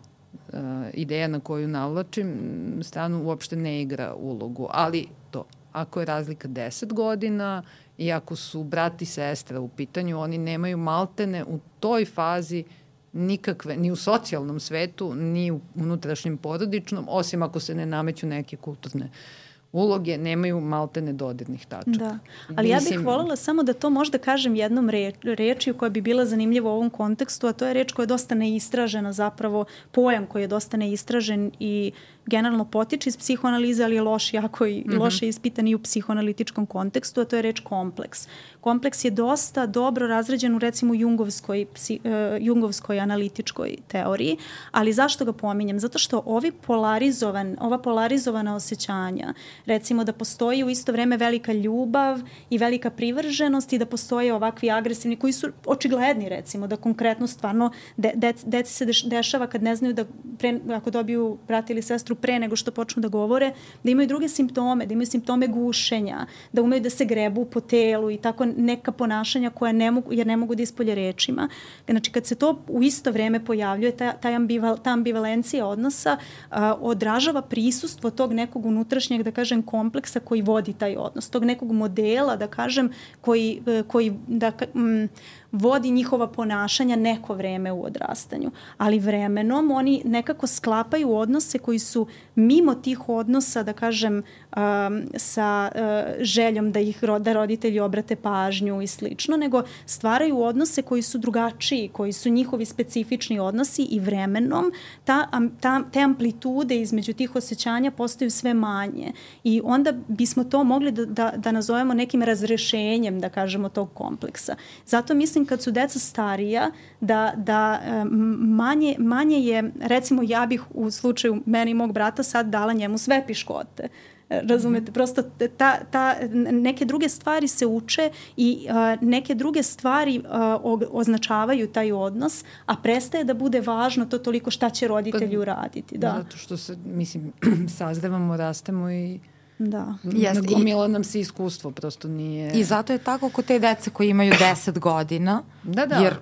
a, ideja na koju navlačim stranu uopšte ne igra ulogu. Ali to, ako je razlika deset godina i ako su brat i sestra u pitanju, oni nemaju maltene u toj fazi nikakve, ni u socijalnom svetu, ni u unutrašnjem porodičnom, osim ako se ne nameću neke kulturne uloge, nemaju maltene dodirnih tačaka. Da, ali Mislim... ja bih voljela samo da to možda kažem jednom reč, rečju koja bi bila zanimljiva u ovom kontekstu, a to je reč koja je dosta neistražena, zapravo pojam koji je dosta neistražen i generalno potiče iz psihoanalize, ali je loš jako i mm-hmm. loše ispitan i u psihoanalitičkom kontekstu, a to je reč kompleks. Kompleks je dosta dobro razređen u recimo jungovskoj, psi, uh, jungovskoj analitičkoj teoriji, ali zašto ga pominjem? Zato što ovi polarizovan, ova polarizovana osjećanja recimo da postoji u isto vreme velika ljubav i velika privrženost i da postoje ovakvi agresivni koji su očigledni, recimo da konkretno stvarno de, de, deci se deš, dešava kad ne znaju da pre, ako dobiju brata ili sestru pre nego što počnu da govore, da imaju druge simptome, da imaju simptome gušenja, da umeju da se grebu po telu i tako neka ponašanja koja ne mogu, jer ne mogu da ispolje rečima. Znači kad se to u isto vreme pojavljuje, ta, ta, ambival, ta ambivalencija odnosa a, odražava prisustvo tog nekog unutrašnjeg, da kažem, kompleksa koji vodi taj odnos, tog nekog modela, da kažem, koji, koji da, m, vodi njihova ponašanja neko vreme u odrastanju. Ali vremenom oni nekako sklapaju odnose koji su mimo tih odnosa, da kažem, um, sa uh, željom da ih da roditelji obrate pažnju i slično, nego stvaraju odnose koji su drugačiji, koji su njihovi specifični odnosi i vremenom ta, ta, te amplitude između tih osjećanja postaju sve manje. I onda bismo to mogli da, da, da nazovemo nekim razrešenjem, da kažemo, tog kompleksa. Zato mislim kad su deca starija, da, da manje, manje je, recimo ja bih u slučaju meni i mog brata sad dala njemu sve piškote. Razumete, prosto ta, ta, neke druge stvari se uče i uh, neke druge stvari uh, označavaju taj odnos, a prestaje da bude važno to toliko šta će roditelji uraditi. Da. Zato što se, mislim, sazrevamo, rastemo i da. nagomila nam se iskustvo, prosto nije... I zato je tako kod te dece koji imaju deset godina. Da, da. Jer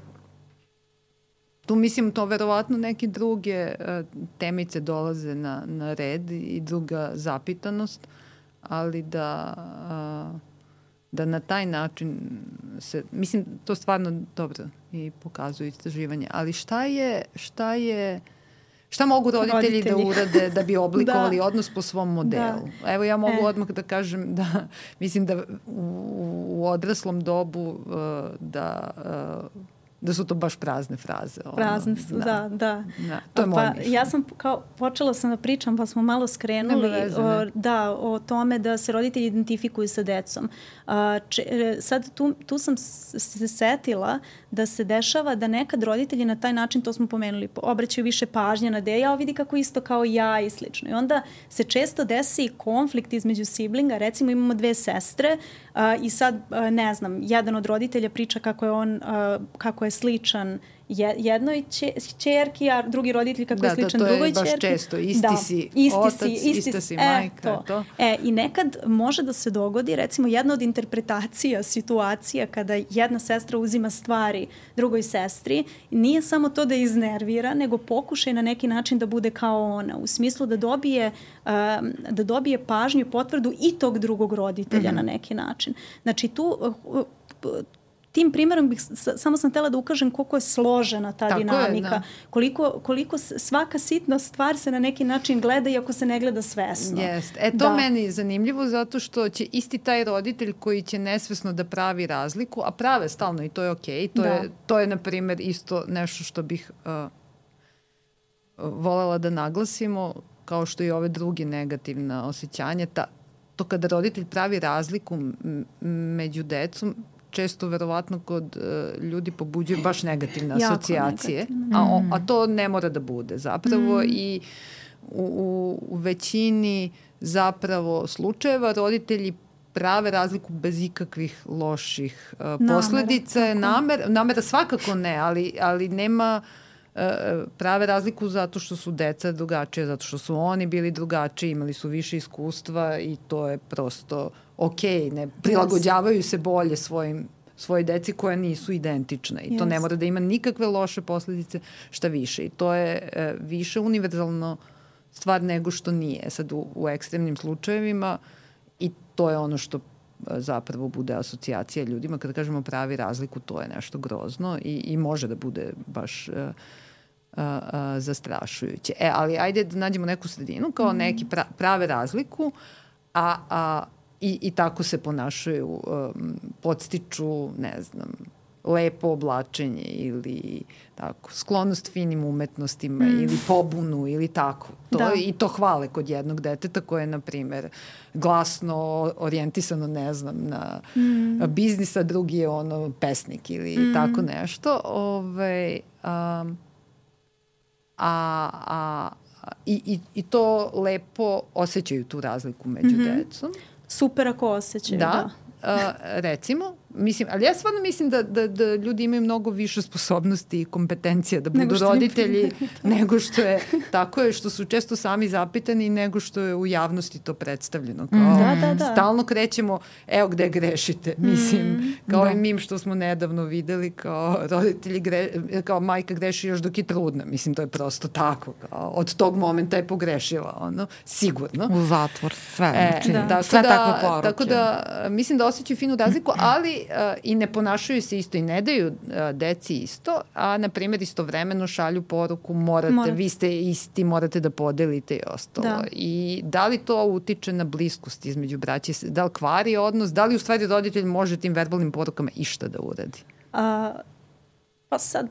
tu mislim to verovatno neke druge uh, temice dolaze na, na red i druga zapitanost, ali da, uh, da na taj način se, mislim to stvarno dobro i pokazuje istraživanje, ali šta je, šta je Šta mogu roditelji, roditelji. da urade da bi oblikovali da. odnos po svom modelu? Da. Evo ja mogu e. odmah da kažem da mislim da u, u odraslom dobu uh, da uh, da su to baš prazne fraze. Prazne su, ono, da, da. da. To je moje mišljenje. Ja sam kao, počela sam da pričam, pa smo malo skrenuli veze, o, da, o tome da se roditelji identifikuju sa decom. A, če, sad tu, tu sam se setila da se dešava da nekad roditelji na taj način, to smo pomenuli, obraćaju više pažnje na deja, a vidi kako isto kao ja i slično. I onda se često desi konflikt između siblinga, recimo imamo dve sestre a, i sad, a, ne znam, jedan od roditelja priča kako je on, a, kako je sličan jednoj ćerki, a drugi roditelj kako da, je sličan drugoj ćerki. Da, to je baš često. Isti da, si isti otac, si, isti ista si e, majka. To. To. E, I nekad može da se dogodi, recimo jedna od interpretacija situacija kada jedna sestra uzima stvari drugoj sestri, nije samo to da je iznervira, nego pokušaj na neki način da bude kao ona, u smislu da dobije, um, da dobije pažnju i potvrdu i tog drugog roditelja mm-hmm. na neki način. Znači tu... Uh, uh, Tim primjerom bih, samo sam htjela da ukažem koliko je složena ta Tako dinamika, je, da. koliko, koliko svaka sitna stvar se na neki način gleda iako se ne gleda svesno. Jest. E to da. meni je zanimljivo zato što će isti taj roditelj koji će nesvesno da pravi razliku, a prave stalno i to je okej, okay, to, da. je, to je na primjer isto nešto što bih uh, volela da naglasimo, kao što i ove druge negativna osjećanja, ta, to kada roditelj pravi razliku m- među decom, često verovatno kod uh, ljudi pobuđuje baš negativne asocijacije, negativne. A, o, a to ne mora da bude zapravo mm. i u, u, u većini zapravo slučajeva roditelji prave razliku bez ikakvih loših uh, posledica. Namer, namera svakako ne, ali, ali nema uh, prave razliku zato što su deca drugačije, zato što su oni bili drugačiji, imali su više iskustva i to je prosto ok, ne prilagođavaju se bolje svojim svoje deci koja nisu identične i yes. to ne mora da ima nikakve loše posledice, šta više. I to je e, više univerzalno stvar nego što nije. Sad u, u ekstremnim slučajevima i to je ono što e, zapravo bude asocijacija ljudima. Kada kažemo pravi razliku, to je nešto grozno i, i može da bude baš e, a, a, zastrašujuće. E, ali ajde da nađemo neku sredinu kao mm. neki pra, prave razliku, a, a I, i tako se ponašaju, um, podstiču, ne znam, lepo oblačenje ili tako, sklonost finim umetnostima mm. ili pobunu ili tako. To, da. I to hvale kod jednog deteta koje je, na primer, glasno orijentisano, ne znam, na mm. biznis, a drugi je ono pesnik ili mm. tako nešto. Ove, um, a, a i, i, i to lepo osjećaju tu razliku među mm-hmm. decom. Super ako osjećaju, da. Da. Uh, recimo, mislim, ali ja stvarno mislim da, da, da ljudi imaju mnogo više sposobnosti i kompetencija da budu roditelji nego što je, tako je, što su često sami zapitani nego što je u javnosti to predstavljeno. Kao, da, da, da. Stalno krećemo, evo gde grešite, mislim, mm, kao da. I mim što smo nedavno videli, kao roditelji, gre, kao majka greši još dok je trudna, mislim, to je prosto tako, kao, od tog momenta je pogrešila, ono, sigurno. U zatvor, sve, e, znači, da, sve da, takve poruke. Tako da, mislim da osjećaju finu razliku, ali uh, i ne ponašaju se isto i ne daju uh, deci isto, a na primjer istovremeno šalju poruku morate, morate, vi ste isti, morate da podelite i ostalo. Da. I da li to utiče na bliskost između braće, da li kvari odnos, da li u stvari roditelj može tim verbalnim porukama išta da uradi? A, pa sad,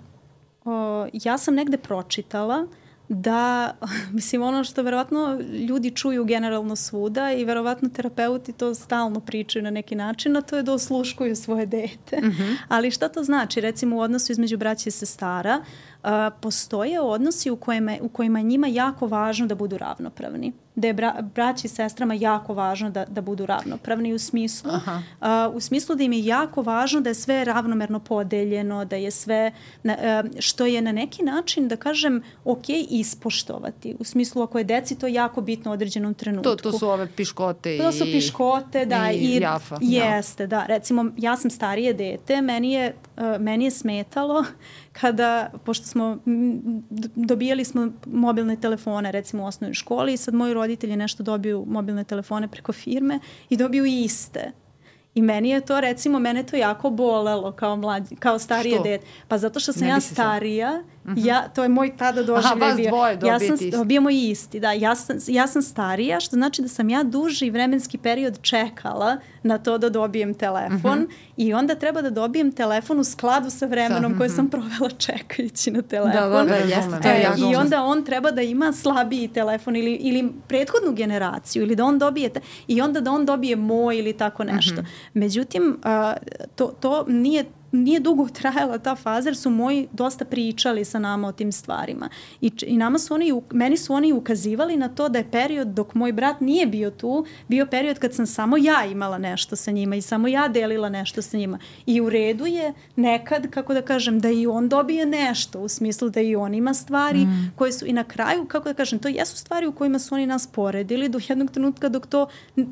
o, ja sam negde pročitala da, mislim, ono što verovatno ljudi čuju generalno svuda i verovatno terapeuti to stalno pričaju na neki način, a to je da osluškuju svoje dete. Mm-hmm. Ali šta to znači? Recimo u odnosu između braće i sestara uh, postoje odnosi u kojima, u kojima je njima jako važno da budu ravnopravni. Da je bra, braći i sestrama jako važno da, da budu ravnopravni u smislu, uh, u smislu da im je jako važno da je sve ravnomerno podeljeno, da je sve, na, uh, što je na neki način, da kažem, ok ispoštovati. U smislu ako je deci to jako bitno u određenom trenutku. To, to su ove piškote i To su piškote, da. I, i jafa. Jeste, da. Recimo, ja sam starije dete, meni je, uh, meni je smetalo kada, pošto smo, dobijali smo mobilne telefone, recimo u osnovnoj školi, i sad moji roditelji nešto dobiju mobilne telefone preko firme i dobiju iste. I meni je to, recimo, mene to jako bolelo kao, mlađi, kao starije dete. Pa zato što sam ne ja starija, uh-huh. ja, to je moj tada doživljaj bio. Ja sam, dobijemo isti, da. Ja sam, ja sam starija, što znači da sam ja duži vremenski period čekala na to da dobijem telefon uh-huh. i onda treba da dobijem telefon u skladu sa vremenom sa, koje uh-huh. sam provela čekajući na telefon. Da, da, da, jeste, to je ja I onda on treba da ima slabiji telefon ili, ili prethodnu generaciju ili da on dobije, te, i onda da on dobije moj ili tako nešto. Uh-huh. Međutim, uh, to, to nije nije dugo trajala ta faza jer su moji dosta pričali sa nama o tim stvarima. I, i nama su oni, meni su oni ukazivali na to da je period dok moj brat nije bio tu, bio period kad sam samo ja imala nešto sa njima i samo ja delila nešto sa njima. I u redu je nekad, kako da kažem, da i on dobije nešto, u smislu da i on ima stvari mm. koje su i na kraju, kako da kažem, to jesu stvari u kojima su oni nas poredili do jednog trenutka dok to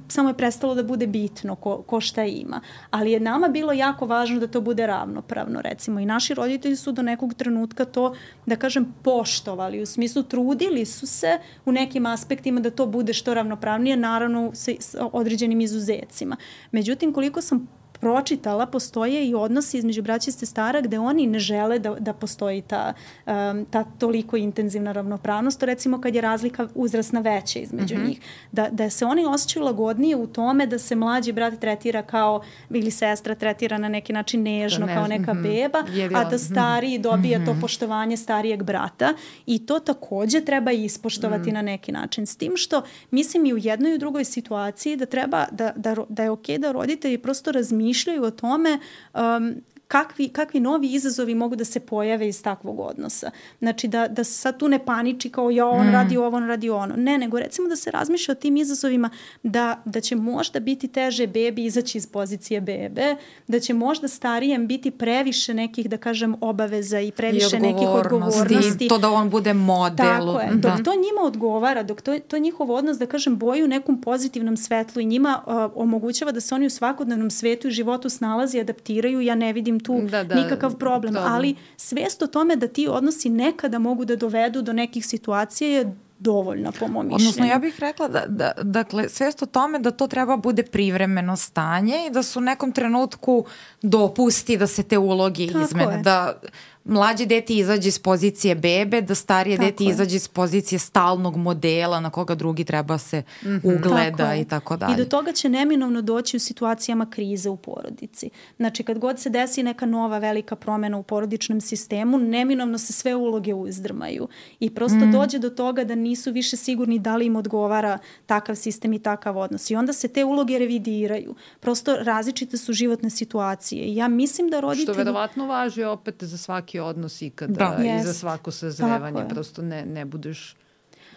samo je prestalo da bude bitno ko, ko šta ima. Ali je nama bilo jako važno da to bude ravnopravno, recimo. I naši roditelji su do nekog trenutka to, da kažem, poštovali. U smislu, trudili su se u nekim aspektima da to bude što ravnopravnije, naravno sa, sa određenim izuzecima. Međutim, koliko sam pročitala, postoje i odnosi između braća i sestara gde oni ne žele da, da postoji ta, um, ta toliko intenzivna ravnopravnost, recimo kad je razlika uzrasna veća između mm-hmm. njih. Da, da se oni osjećaju lagodnije u tome da se mlađi brat tretira kao, ili sestra tretira na neki način nežno, ne, kao neka mm-hmm. beba, a da stariji dobija mm-hmm. to poštovanje starijeg brata i to takođe treba ispoštovati mm-hmm. na neki način. S tim što mislim i u jednoj i u drugoj situaciji da treba, da, da, da je okej da roditelji prosto razmišljaju mišljaju o tome um, kakvi, kakvi novi izazovi mogu da se pojave iz takvog odnosa. Znači da, da se sad tu ne paniči kao ja, on mm. radi ovo, on radi ono. Ne, nego recimo da se razmišlja o tim izazovima da, da će možda biti teže bebi izaći iz pozicije bebe, da će možda starijem biti previše nekih, da kažem, obaveza i previše I nekih odgovornosti. To da on bude model. Tako je. Dok to njima odgovara, dok to, to njihov odnos, da kažem, boji u nekom pozitivnom svetlu i njima uh, omogućava da se oni u svakodnevnom svetu i životu snalazi, adaptiraju, ja ne vidim tu da, da, nikakav problem, dobro. Ali svest o tome da ti odnosi nekada mogu da dovedu do nekih situacija je dovoljna po mom mišljenju. Odnosno, ja bih rekla da, da dakle, svest o tome da to treba bude privremeno stanje i da su u nekom trenutku dopusti da se te uloge Tako izmene. Je. Da mlađe dete izađe iz pozicije bebe, da starije tako dete je. Izađe iz pozicije stalnog modela na koga drugi treba se mm-hmm. ugleda tako i tako dalje. I do toga će neminovno doći u situacijama krize u porodici. Znači, kad god se desi neka nova velika promena u porodičnom sistemu, neminovno se sve uloge uzdrmaju. I prosto mm. dođe do toga da nisu više sigurni da li im odgovara takav sistem i takav odnos. I onda se te uloge revidiraju. Prosto različite su životne situacije. I ja mislim da roditelji... Što verovatno važi opet za svaki odnos ikada da. i yes. za svako sazrevanje. Prosto ne, ne budeš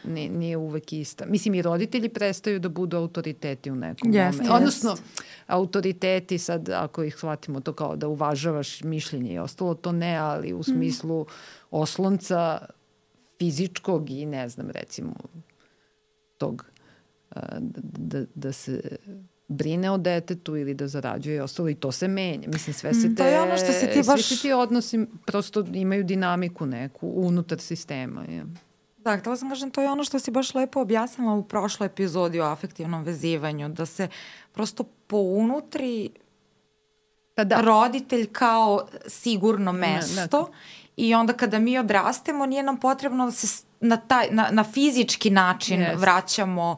nije, nije uvek ista. Mislim, i roditelji prestaju da budu autoriteti u nekom yes, momentu. Yes. Odnosno, autoriteti sad, ako ih shvatimo to kao da uvažavaš mišljenje i ostalo, to ne, ali u smislu mm. oslonca fizičkog i ne znam, recimo, tog da, da, da se brine o detetu ili da zarađuje i ostalo i to se menja. Mislim, sve se te, to je ono što si ti baš... svi ti odnosi prosto imaju dinamiku neku unutar sistema. Ja. Da, htela sam kažem, to je ono što si baš lepo objasnila u prošloj epizodi o afektivnom vezivanju, da se prosto pounutri pa da. roditelj kao sigurno mesto ne, ne. I onda kada mi odrastemo nije nam potrebno da se na, taj, na, na fizički način yes. vraćamo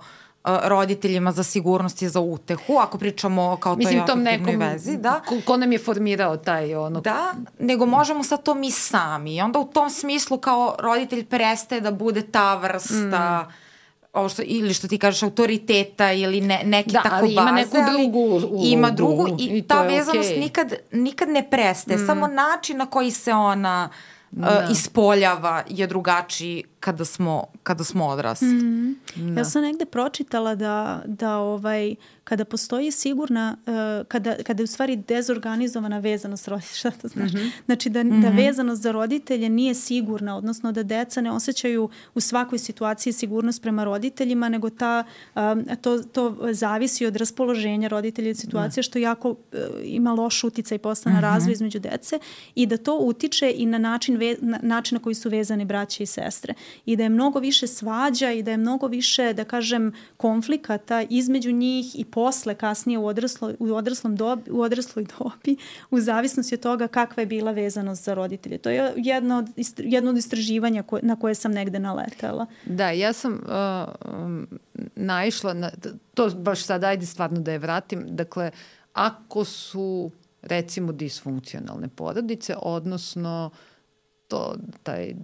roditeljima za sigurnost i za utehu, ako pričamo kao Mislim, toj afektivnoj vezi. Da. Ko, ko nam je formirao taj ono... Da, nego možemo sad to mi sami. I onda u tom smislu kao roditelj prestaje da bude ta vrsta... Mm. Ovo što, ili što ti kažeš autoriteta ili ne, neki da, tako baze. Da, ali ima neku drugu ulogu. Ima drugu i, i ta vezanost okay. nikad, nikad ne prestaje. Mm. Samo način na koji se ona da. uh, ispoljava je drugačiji kada smo, kada smo odrasli. Mm. Da. Ja sam negde pročitala da, da ovaj, kada postoji sigurna, uh, kada, kada je u stvari dezorganizovana vezanost roditelja, šta to znači? Mm-hmm. Znači da, mm-hmm. da vezanost za roditelje nije sigurna, odnosno da deca ne osjećaju u svakoj situaciji sigurnost prema roditeljima, nego ta, um, to, to zavisi od raspoloženja roditelja i situacije, mm. što jako uh, ima loš uticaj posle na mm-hmm. razvoj između dece i da to utiče i na način, ve, na način na koji su vezani braće i sestre. I da je mnogo više svađa i da je mnogo više, da kažem, konflikata između njih i posle, kasnije u, odraslo, u, odraslom dobi, u odrasloj dobi, u zavisnosti od toga kakva je bila vezanost za roditelje. To je jedno od, jedno od istraživanja koje, na koje sam negde naletela. Da, ja sam uh, um, naišla na, to baš sad, ajde stvarno da je vratim, dakle, ako su recimo disfunkcionalne porodice, odnosno to, taj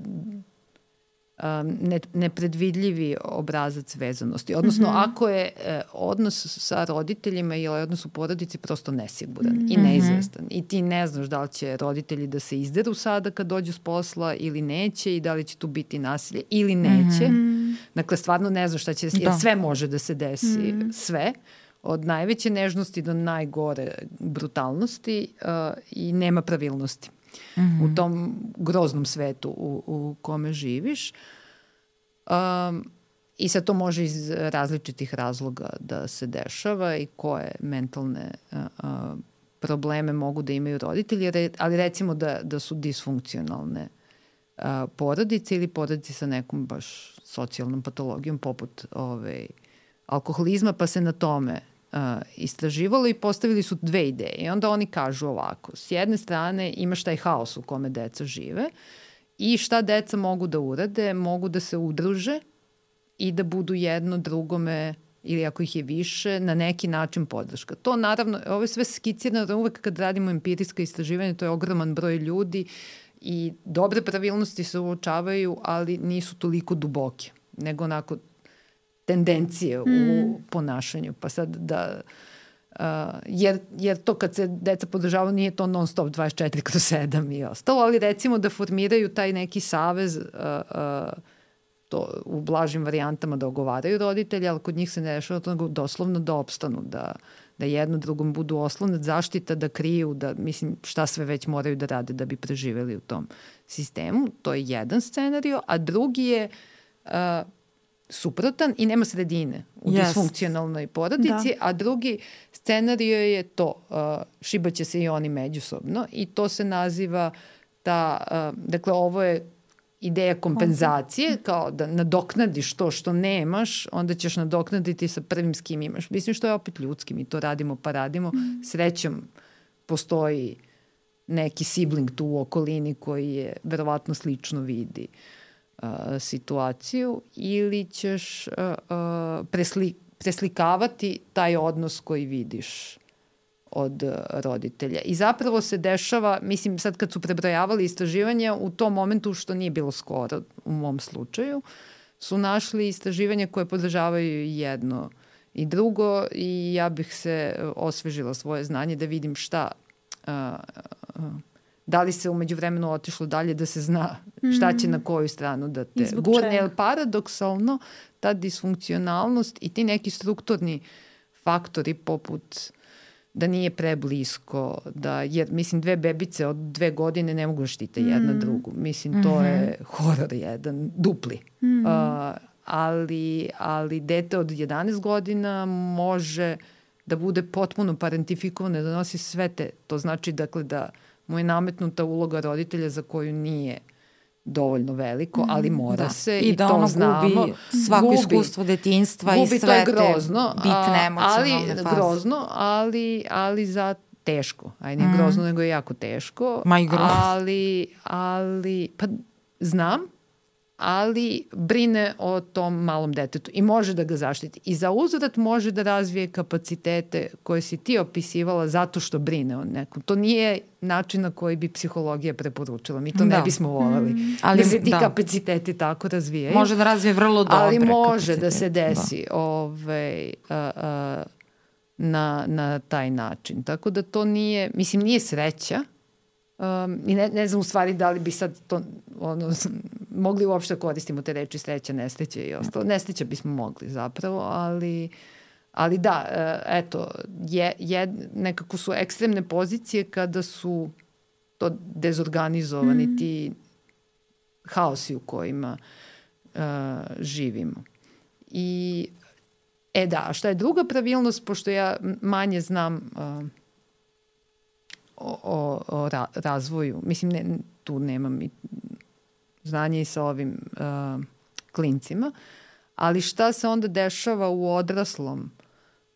Um, ne, nepredvidljivi obrazac vezanosti. Odnosno, mm-hmm. ako je eh, odnos sa roditeljima ili odnos u porodici prosto nesiguran mm-hmm. i neizvestan. I ti ne znaš da li će roditelji da se izderu sada kad dođu s posla ili neće i da li će tu biti nasilje ili neće. Mm-hmm. Dakle, stvarno ne znaš šta će da, jer sve može da se desi. Mm-hmm. Sve. Od najveće nežnosti do najgore brutalnosti uh, i nema pravilnosti. Mm-hmm. u tom groznom svetu u, u kome živiš. Um, I sad to može iz različitih razloga da se dešava i koje mentalne uh, uh, probleme mogu da imaju roditelji, re, ali recimo da, da su disfunkcionalne uh, porodice ili porodice sa nekom baš socijalnom patologijom poput ove, alkoholizma, pa se na tome Uh, istraživalo i postavili su dve ideje. I onda oni kažu ovako, s jedne strane imaš taj haos u kome deca žive i šta deca mogu da urade, mogu da se udruže i da budu jedno drugome ili ako ih je više, na neki način podrška. To naravno, ovo je sve skicirano, uvek kad radimo empirijska istraživanja, to je ogroman broj ljudi i dobre pravilnosti se uočavaju, ali nisu toliko duboke, nego onako tendencije mm. u ponašanju. Pa sad da... Uh, jer, jer to kad se deca podržavaju nije to non stop dvadeset četiri kroz sedam i ostalo, ali recimo da formiraju taj neki savez uh, uh, to u blažim varijantama da ogovaraju roditelji, ali kod njih se ne rešava to doslovno da opstanu, da, da jedno drugom budu oslonac, zaštita, da kriju, da mislim šta sve već moraju da rade da bi preživeli u tom sistemu. To je jedan scenario, a drugi je uh, suprotan i nema sredine u yes. disfunkcionalnoj porodici, da. A drugi scenario je to, uh, šibaće se i oni međusobno i to se naziva ta, uh, dakle ovo je ideja kompenzacije, kao da nadoknadiš to što nemaš, onda ćeš nadoknaditi sa prvim s kim imaš. Mislim što je opet ljudski, mi to radimo pa radimo. Mm. Srećom postoji neki sibling tu u okolini koji je verovatno slično vidi uh, situaciju ili ćeš uh, uh, presli, preslikavati taj odnos koji vidiš od roditelja. I zapravo se dešava, mislim sad kad su prebrojavali istraživanja, u tom momentu što nije bilo skoro u mom slučaju, su našli istraživanja koje podržavaju jedno i drugo i ja bih se osvežila svoje znanje da vidim šta, uh, uh, Da li se umeđu vremenu otišlo dalje da se zna šta će na koju stranu da te gurne. Jer paradoksalno ta disfunkcionalnost i ti neki strukturni faktori poput da nije preblisko, da, jer mislim dve bebice od dve godine ne mogu da štite jedna mm. drugu. Mislim to mm-hmm. je horor jedan, dupli. Mm. Uh, ali, ali dete od jedanaest godina može da bude potpuno parentifikovano, da nosi sve te. To znači dakle da mu je nametnuta uloga roditelja za koju nije dovoljno veliko, ali mora da. se i, i da to znamo. I da ono gubi svako gubi, iskustvo detinjstva i sve grozno, te bitne emocionalne faze. Grozno, ali, ali za teško. Ajde, nije mm. grozno, nego je jako teško. Ma i grozno. Ali, ali, pa znam, ali brine o tom malom detetu i može da ga zaštiti. I za uzvrat može da razvije kapacitete koje si ti opisivala zato što brine o nekom. To nije način na koji bi psihologija preporučila. Mi to da. ne bismo volali. Mm. Ali, da se ti da. kapaciteti tako razvijaju. Može da razvije vrlo dobre ali može kapacitete. Da se desi da. Ovaj, a, a, na, na taj način. Tako da to nije, mislim, nije sreća. Um, I ne, ne znam u stvari da li bi sad to ono, mogli uopšte koristimo te reči sreća, nesreća i ostalo. Nesreća bismo mogli zapravo, ali, ali da, eto, je, je, nekako su ekstremne pozicije kada su to dezorganizovani mm. ti haosi u kojima uh, živimo. I, e da, a šta je druga pravilnost, pošto ja manje znam uh, o, o, o ra, razvoju, mislim, ne, tu nemam i znanje i sa ovim uh, klincima, ali šta se onda dešava u odraslom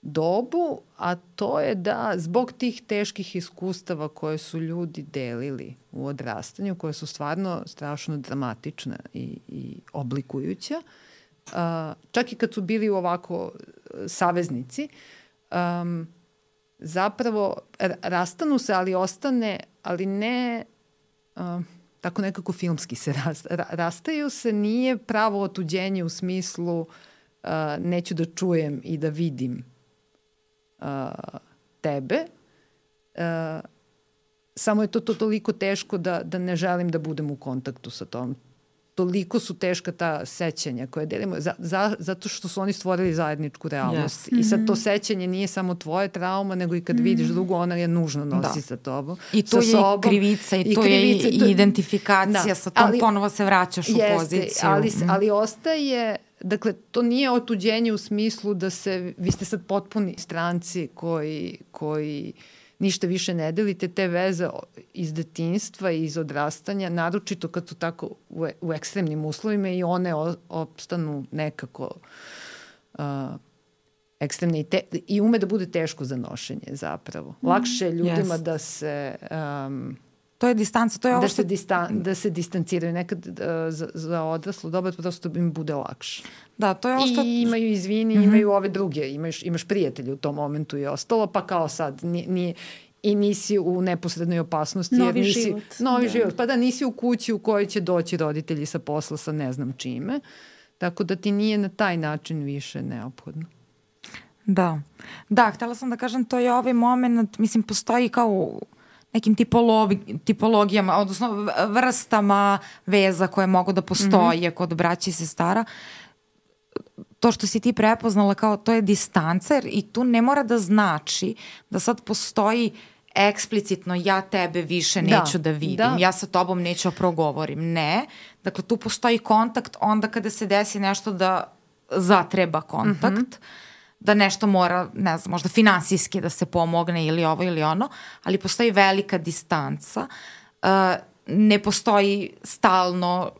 dobu, a to je da zbog tih teških iskustava koje su ljudi delili u odrastanju, koje su stvarno strašno dramatične i, i oblikujuća, uh, čak i kad su bili ovako saveznici, um, zapravo rastanu se, ali ostane, ali ne uh, tako nekako filmski se rast, rastaju se, nije pravo otuđenje u smislu uh, neću da čujem i da vidim uh, tebe, uh, samo je to, to toliko teško da, da ne želim da budem u kontaktu sa tom. Toliko su teška ta sećanja koje delimo, za, za, zato što su oni stvorili zajedničku realnost. Yes. I sad to sećanje nije samo tvoje trauma, nego i kad mm. vidiš drugu, ona je nužno nosi da. sa tobom. I to je sobom, i krivica, i, i to krivica, je i identifikacija, da. sa tom ali, ponovo se vraćaš jeste, u poziciju. Ali, ali ostaje, dakle, to nije otuđenje u smislu da se, vi ste sad potpuni stranci koji, koji ništa više ne delite, te veze iz detinjstva i iz odrastanja, naročito kad su tako u, u ekstremnim uslovima i one o, opstanu nekako uh, ekstremne i, te, i ume da bude teško za nošenje zapravo. Lakše je ljudima yes. da se... Um, to je distanca, to je ovo da što... Se distan, da se distanciraju. Nekad uh, za, za odraslu doba prosto im bude lakše. Da, to je ovo što... I imaju izvini, mm-hmm. imaju ove druge, imaš, imaš prijatelje u tom momentu i ostalo, pa kao sad, nije, nije, i nisi u neposrednoj opasnosti. Novi jer nisi, život. Novi da. život. Pa da, nisi u kući u kojoj će doći roditelji sa posla sa ne znam čime. Tako da ti nije na taj način više neophodno. Da. Da, htjela sam da kažem, to je ovaj moment, mislim, postoji kao nekim tipologi, tipologijama, odnosno vrstama veza koje mogu da postoje mm-hmm. kod braća i sestara. To što si ti prepoznala kao to je distancer i tu ne mora da znači da sad postoji eksplicitno ja tebe više neću da, da vidim, da. ja sa tobom neću progovorim. Ne. Dakle, tu postoji kontakt onda kada se desi nešto da zatreba kontakt. Mm-hmm. Da nešto mora, ne znam, možda finansijski da se pomogne ili ovo ili ono, ali postoji velika distanca, uh, ne postoji stalno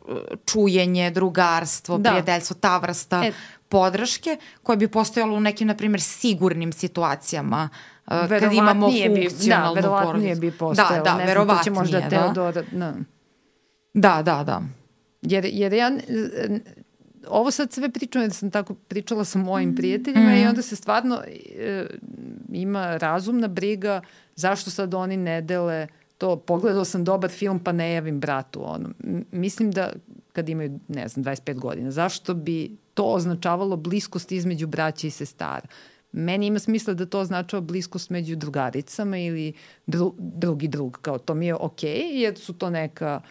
čujenje, drugarstvo, da. prijateljstvo, ta vrsta e. podrške koje bi postojalo u nekim, na primjer, sigurnim situacijama uh, kad imamo funkcionalnu bi, da, verovatnije bi postojalo. Da, da, ne znam, to će možda da. Teodora... Da. da, da, da. Jer, jer ja... Ovo sad sve pričam jer sam tako pričala sa mojim prijateljima mm. i onda se stvarno e, ima razumna briga zašto sad oni ne dele to. Pogledao sam dobar film pa ne javim bratu. Ono. Mislim da kad imaju, ne znam, dvadeset pet godina, zašto bi to označavalo bliskost između braća i sestara? meni ima smisla da to označava bliskost među drugaricama ili dru, drugi drug, kao to mi je okej, okay, jer su to neka,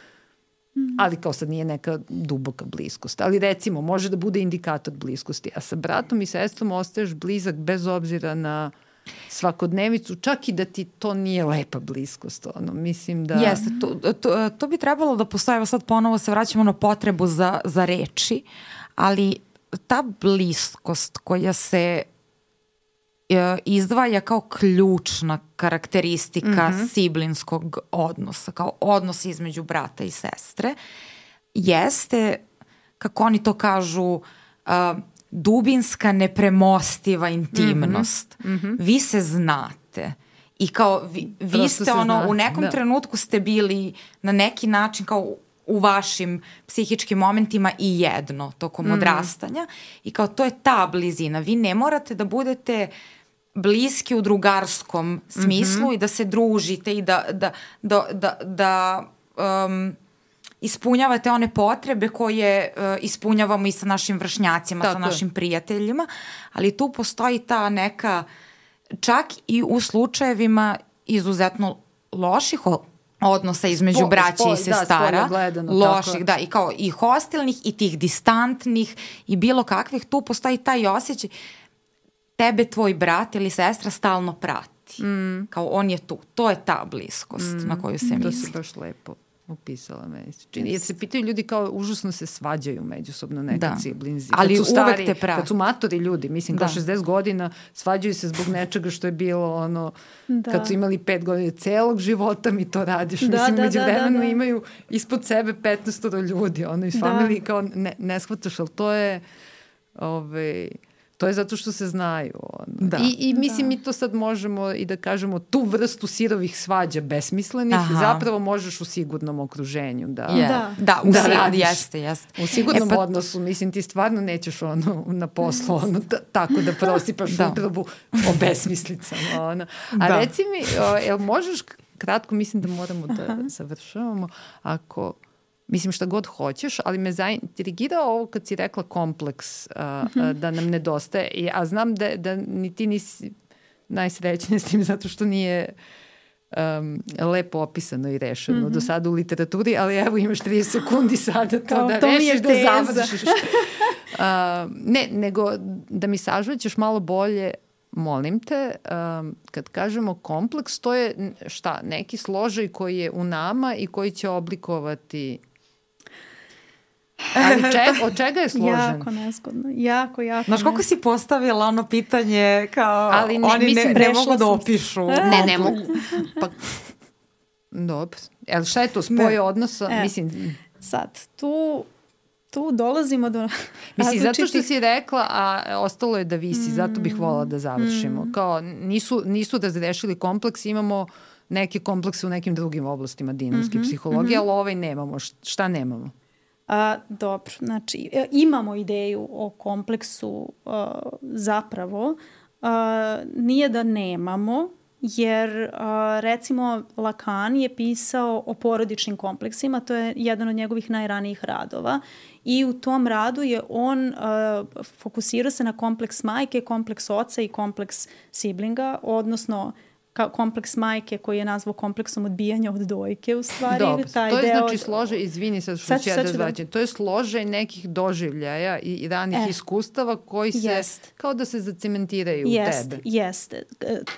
ali kao sad nije neka duboka bliskost. Ali recimo, može da bude indikator bliskosti, a sa bratom i sestrom ostaješ blizak bez obzira na svakodnevicu, čak i da ti to nije lepa bliskost. Ono, mislim da... Jeste, to, to, to bi trebalo da postoje, evo sad ponovo se vraćamo na potrebu za, za reči, ali ta bliskost koja se e, izdvaja kao ključna karakteristika mm-hmm. siblinskog odnosa, kao odnos između brata i sestre, jeste, kako oni to kažu, uh, dubinska, nepremostiva intimnost. Mm-hmm. Vi se znate i kao vi, vi ste ono, zna. U nekom da. trenutku ste bili na neki način kao u vašim psihičkim momentima i jedno tokom mm-hmm. odrastanja i kao to je ta blizina. Vi ne morate da budete bliski u drugarskom smislu mm-hmm. i da se družite i da, da, da, da, da um, ispunjavate one potrebe koje uh, ispunjavamo i sa našim vršnjacima, tako sa našim prijateljima, ali tu postoji ta neka, čak i u slučajevima izuzetno loših odnosa između Spo, braće spoj, i sestara, da, gledano, loših, da, i kao i hostilnih i tih distantnih i bilo kakvih, tu postoji taj osjećaj tebe tvoj brat ili sestra stalno prati. Mm. Kao on je tu. To je ta bliskost mm. na koju se misli. To si baš lepo upisala meni. Čini, jer se pitaju ljudi kao užasno se svađaju međusobno nekad da. Siblinzi. Ali kad su stari, uvek te prati. Kad su matori ljudi, mislim, da. Kao šezdeset godina, svađaju se zbog nečega što je bilo ono, da. Kad su imali pet godina celog života mi to radiš. Da, mislim, da, među vremenu da, da, da. Imaju ispod sebe petnaest ljudi, ono, iz da. Familije kao ne, ne shvataš, ali to je ovaj... To je zato što se znaju. Ono. Da. I, I mislim, da. Mi to sad možemo i da kažemo tu vrstu sirovih svađa besmislenih, aha. Zapravo možeš u sigurnom okruženju da, yeah. da. da, u da sig- radiš. Jeste, jeste. U sigurnom e pa... odnosu, mislim, ti stvarno nećeš ono, na poslu ono, t- tako da prosipaš da. Utrabu o besmislicama. Ono. A da. Reci mi, o, jel možeš kratko, mislim da moramo da završavamo, ako... Mislim šta god hoćeš, ali me zaintrigirao ovo kad si rekla kompleks uh, mm-hmm. uh, da nam nedostaje. A znam da, da ni ti nisi najsrećnija s tim zato što nije um, lepo opisano i rešeno mm-hmm. do sada u literaturi, ali evo imaš trideset sekundi sada to kao, da to rešiš, da završiš. uh, ne, nego da mi sažvećeš malo bolje. Molim te, um, kad kažemo kompleks, to je šta? Neki složaj koji je u nama i koji će oblikovati... Ali čeg, od čega je složen? Jako nezgodno, jako, jako. Znaš koliko si postavila ono pitanje kao ali ne, oni mislim, ne, ne mogu da opišu? Ne, ne mogu. Pa, dobro. El šta je to? Spoj odnosa? E, mislim... Sad, tu... tu dolazimo do... Mislim, zato što si rekla, a ostalo je da visi, mm. zato bih volila da završimo. Mm. Kao, nisu, nisu razrešili kompleks, imamo neke komplekse u nekim drugim oblastima dinamske mm-hmm, psihologije, mm-hmm. ali ovaj nemamo. Šta nemamo? A, dobro, znači, imamo ideju o kompleksu a, zapravo. A, nije da nemamo, jer a, recimo Lacan je pisao o porodičnim kompleksima, to je jedan od njegovih najranijih radova i u tom radu je on uh, fokusirao se na kompleks majke, kompleks oca i kompleks siblinga, odnosno ka- kompleks majke koji je nazvao kompleksom odbijanja od dojke u stvari. Dobro, taj to je deo... znači složaj, izvini sad što ću ja da zvaćem, to je složaj nekih doživljaja i, i ranih e, iskustava koji se, jest. Kao da se zacementiraju jest, u tebe. Jeste,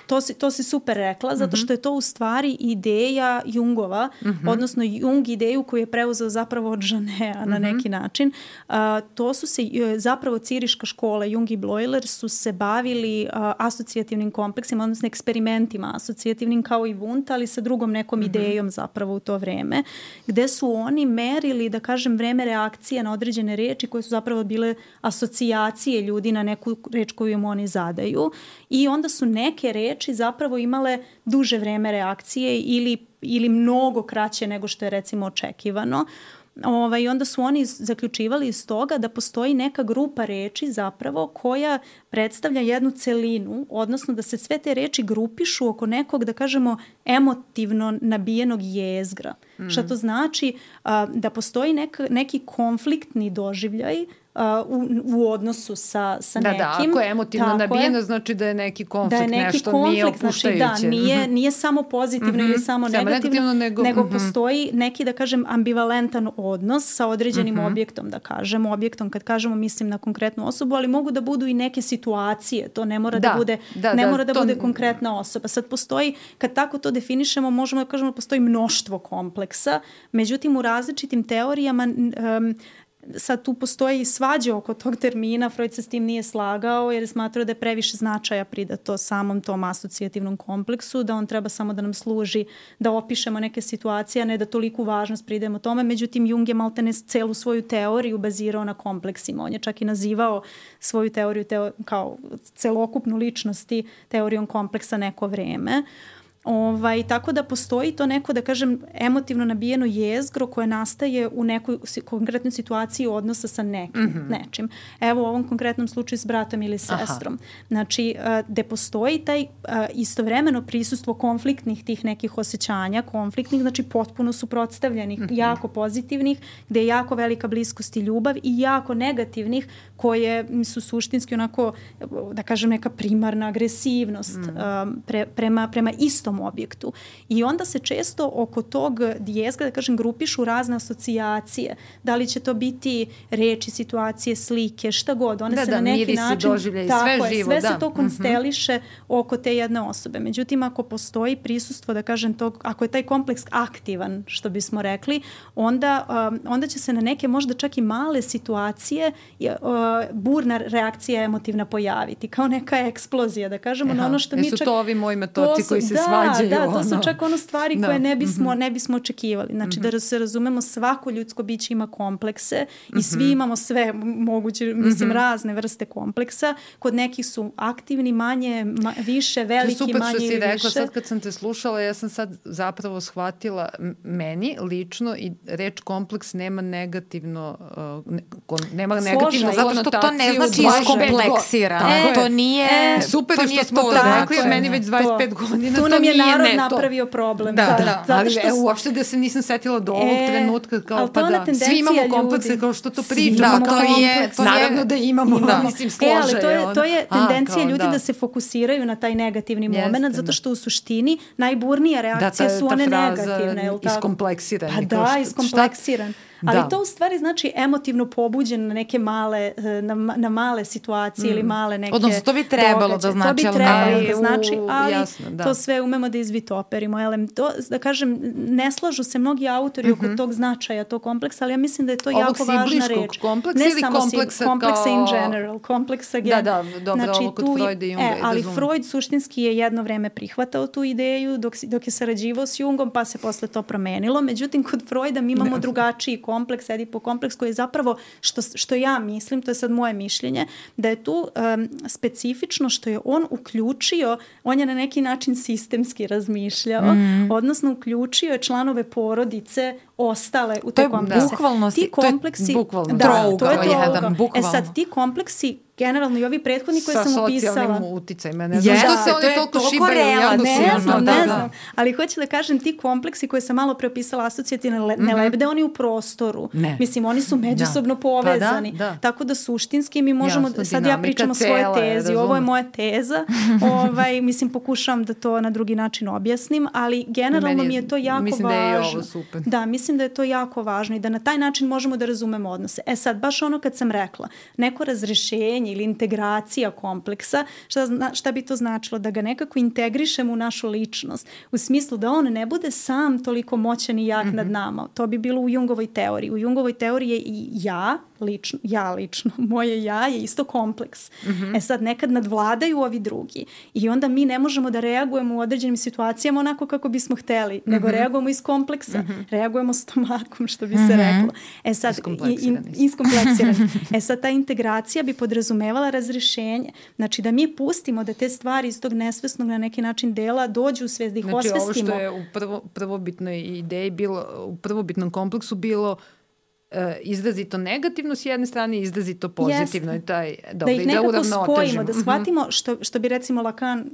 to si, to si super rekla, zato što je to u stvari ideja Jungova, mm-hmm. odnosno Jung ideju koju je preuzeo zapravo od Jeanea na mm-hmm. neki način. Uh, to su se, zapravo Ciriška škola, Jung i Bleuler su se bavili uh, asocijativnim kompleksima, odnosno eksperimentima asocijativnim kao i Wundt, ali sa drugom nekom mm-hmm. idejom zapravo u to vreme, gde su oni merili, da kažem, vreme reakcije na određene reči koje su zapravo bile asocijacije ljudi na neku reč koju im oni zadaju i onda su neke reči zapravo imale duže vreme reakcije ili, ili mnogo kraće nego što je recimo očekivano. Ovaj, onda su oni zaključivali iz toga da postoji neka grupa reči zapravo koja predstavlja jednu celinu, odnosno da se sve te reči grupišu oko nekog, da kažemo, emotivno nabijenog jezgra. Mm. Šta to znači? A, da postoji neka, neki konfliktni doživljaj u, u odnosu sa, sa da, nekim. Da, ako je emotivno nabijeno, znači da je neki konflikt, da je neki nešto konflikt, nije opuštajuće. Znači, da, nije, nije samo pozitivno mm-hmm. ili samo, samo negativno, negativno, nego, nego mm-hmm. postoji neki, da kažem, ambivalentan odnos sa određenim mm-hmm. objektom, da kažemo. Objektom, kad kažemo, mislim na konkretnu osobu, ali mogu da budu i neke situacije. To ne mora da, da bude, da, ne da, mora da to... bude konkretna osoba. Sad postoji, kad tako to definišemo, možemo da kažemo da postoji mnoštvo kompleksa, međutim u različitim teorijama um, sad tu postoji svađa oko tog termina, Freud se s tim nije slagao jer je smatrao da je previše značaja pridato samom tom asocijativnom kompleksu, da on treba samo da nam služi da opišemo neke situacije, a ne da toliku važnost pridajemo tome. Međutim, Jung je maltene celu svoju teoriju bazirao na kompleksima. On je čak i nazivao svoju teoriju teo, kao celokupnu ličnosti teorijom kompleksa neko vreme. Ovaj, tako da postoji to neko, da kažem, emotivno nabijeno jezgro koje nastaje u nekoj konkretnoj situaciji odnosa sa nekim, mm-hmm. nečim. Evo u ovom konkretnom slučaju s bratom ili sestrom. Aha. Znači, gde postoji taj istovremeno prisustvo konfliktnih tih nekih osjećanja, konfliktnih, znači potpuno suprotstavljenih, mm-hmm. jako pozitivnih, gde je jako velika bliskost i ljubav i jako negativnih koje su suštinski onako, da kažem, neka primarna agresivnost mm. um, pre, prema, prema istom objektu. I onda se često oko tog dijezga, da kažem, grupišu razne asocijacije. Da li će to biti reči, situacije, slike, šta god. One da, se da, na neki način... Doživlja i tako sve je, živo. Sve da. se to konsteliše mm-hmm. oko te jedne osobe. Međutim, ako postoji prisustvo, da kažem, tog, ako je taj kompleks aktivan, što bismo rekli, onda, um, onda će se na neke možda čak i male situacije uh, burna reakcija emotivna pojaviti. Kao neka eksplozija, da kažemo. Aha, na ono što mi su čak, to ovi moji metoci koji se da, svađaju? Da, to ono. su čak ono stvari da. koje ne bismo, mm-hmm. ne bismo očekivali. Znači mm-hmm. da se razumemo, svako ljudsko biće ima komplekse i mm-hmm. svi imamo sve moguće, mislim, mm-hmm. razne vrste kompleksa. Kod nekih su aktivni, manje, ma, više, veliki, manje ili više. To je super što si rekla, sad kad sam te slušala, ja sam sad zapravo shvatila, meni lično i reč kompleks nema negativno, uh, ne, nema negativno zato što to ne znači iskompleksiran. E, to nije e, super to što nije smo to rekli, jer meni već dvadeset pet to. godina tu to nam je nije narod ne napravio problem. Da, da, da. da. Ali što... e, uopšte da se nisam setila do ovog e, trenutka kao pa da. Svi imamo komplekse kao što to pričamo. Da, to je, to naravno da imamo, da. mislim, složaj. E, ali to je, to je tendencija ljudi da. da se fokusiraju na taj negativni moment, zato što u suštini najburnija reakcija da, ta, su one ta fraza negativne. iskompleksiran. Pa da, iskompleksiran. Ali da. To u stvari znači emotivno pobuđen na neke male, na, na male situacije mm. ili male neke odnosno to bi trebalo događaje. Da znači. To bi trebalo da znači, ali jasno, da. To sve umemo da izvitoperimo. Elem, to, da kažem, ne slažu se mnogi autori mm-hmm. oko tog značaja, tog kompleksa, ali ja mislim da je to ovog jako važna reč. Kompleksa ne ili samo kompleksa kompleksa kao... in general, kompleksa gen. Da, da, dobro, znači, ovo kod tu, Freuda i Junga. E, ali razum. Freud suštinski je jedno vreme prihvatao tu ideju dok, dok je sarađivao s Jungom, pa se posle to promenilo. Međutim, kod Freuda mi imamo ne. drugačiji kompleks, Edipo kompleks koji je zapravo, što, što ja mislim, to je sad moje mišljenje, da je tu um, specifično što je on uključio, on je na neki način sistemski razmišljao, mm. odnosno uključio je članove porodice ostale u te komplekse. Bukvalno, ti kompleksi, to je bukvalno da, trougao jedan, E bukvalno. sad, ti kompleksi generalno i ovi prethodni koje sa sam upisala. Sa socijalnim uticajima. Ne znam yes, što se oni toliko šibaju. Ja ne znam, da, ne da. znam. Ali hoću da kažem, ti kompleksi koje sam malo preopisala asocijativne ne mm-hmm. lebde, oni u prostoru. Ne. Mislim, oni su međusobno da. povezani. Pa da, da. Tako da suštinski mi možemo, jasno, sad ja pričam o svoje tezi, ovo je moja teza. ovaj, mislim, pokušavam da to na drugi način objasnim, ali generalno mi je to jako mislim važno. Mislim da je ovo super. Da, mislim da je to jako važno i da na taj način možemo da razumemo odnose. E sad, baš ono kad sam rekla, neko razrešenje ili integracija kompleksa, šta, zna, šta bi to značilo? Da ga nekako integrišemo u našu ličnost. U smislu da on ne bude sam toliko moćan i jak mm-hmm. nad nama. To bi bilo u Jungovoj teoriji. U Jungovoj teoriji je i ja, lično, ja lično, moje ja je isto kompleks. Mm-hmm. E sad, nekad nadvladaju ovi drugi. I onda mi ne možemo da reagujemo u određenim situacijama onako kako bismo hteli, mm-hmm. nego reagujemo iz kompleksa. Mm-hmm. Reagujemo stomakom, što bi mm-hmm. se reklo. E sad, iskompleksirani. E sad, ta integracija bi podrazumevala razrešenje. Znači, da mi pustimo da te stvari iz tog nesvesnog na neki način dela dođu u svest, da ih znači, osvestimo. Znači, ovo što je u prvo, prvobitnoj ideji bilo, u prvobitnom kompleksu bilo izrazito negativno s jedne strane i izrazito pozitivno. I taj, dobro, da ih nekako spojimo, da shvatimo, što, što bi recimo Lacan,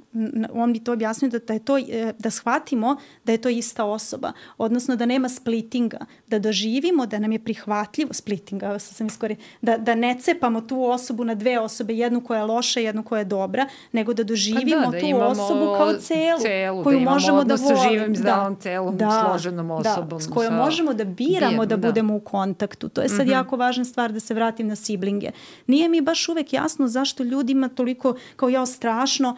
on bi to objasnio, da, da, je to, da shvatimo da je to ista osoba, odnosno da nema splittinga, da doživimo da nam je prihvatljivo, splittinga, sam iskori, da, da ne cepamo tu osobu na dve osobe, jednu koja je loša, jednu koja je dobra, nego da doživimo da, da tu osobu kao celu, celu koju da možemo da volimo. Sa živim, zdravom, celom, da, složenom osobom. Da, s kojom možemo da biramo bijem, da budemo da. u kontaktu. To je sad mm-hmm. jako važna stvar, da se vratim na siblinge. Nije mi baš uvek jasno zašto ljudima toliko, kao ja strašno,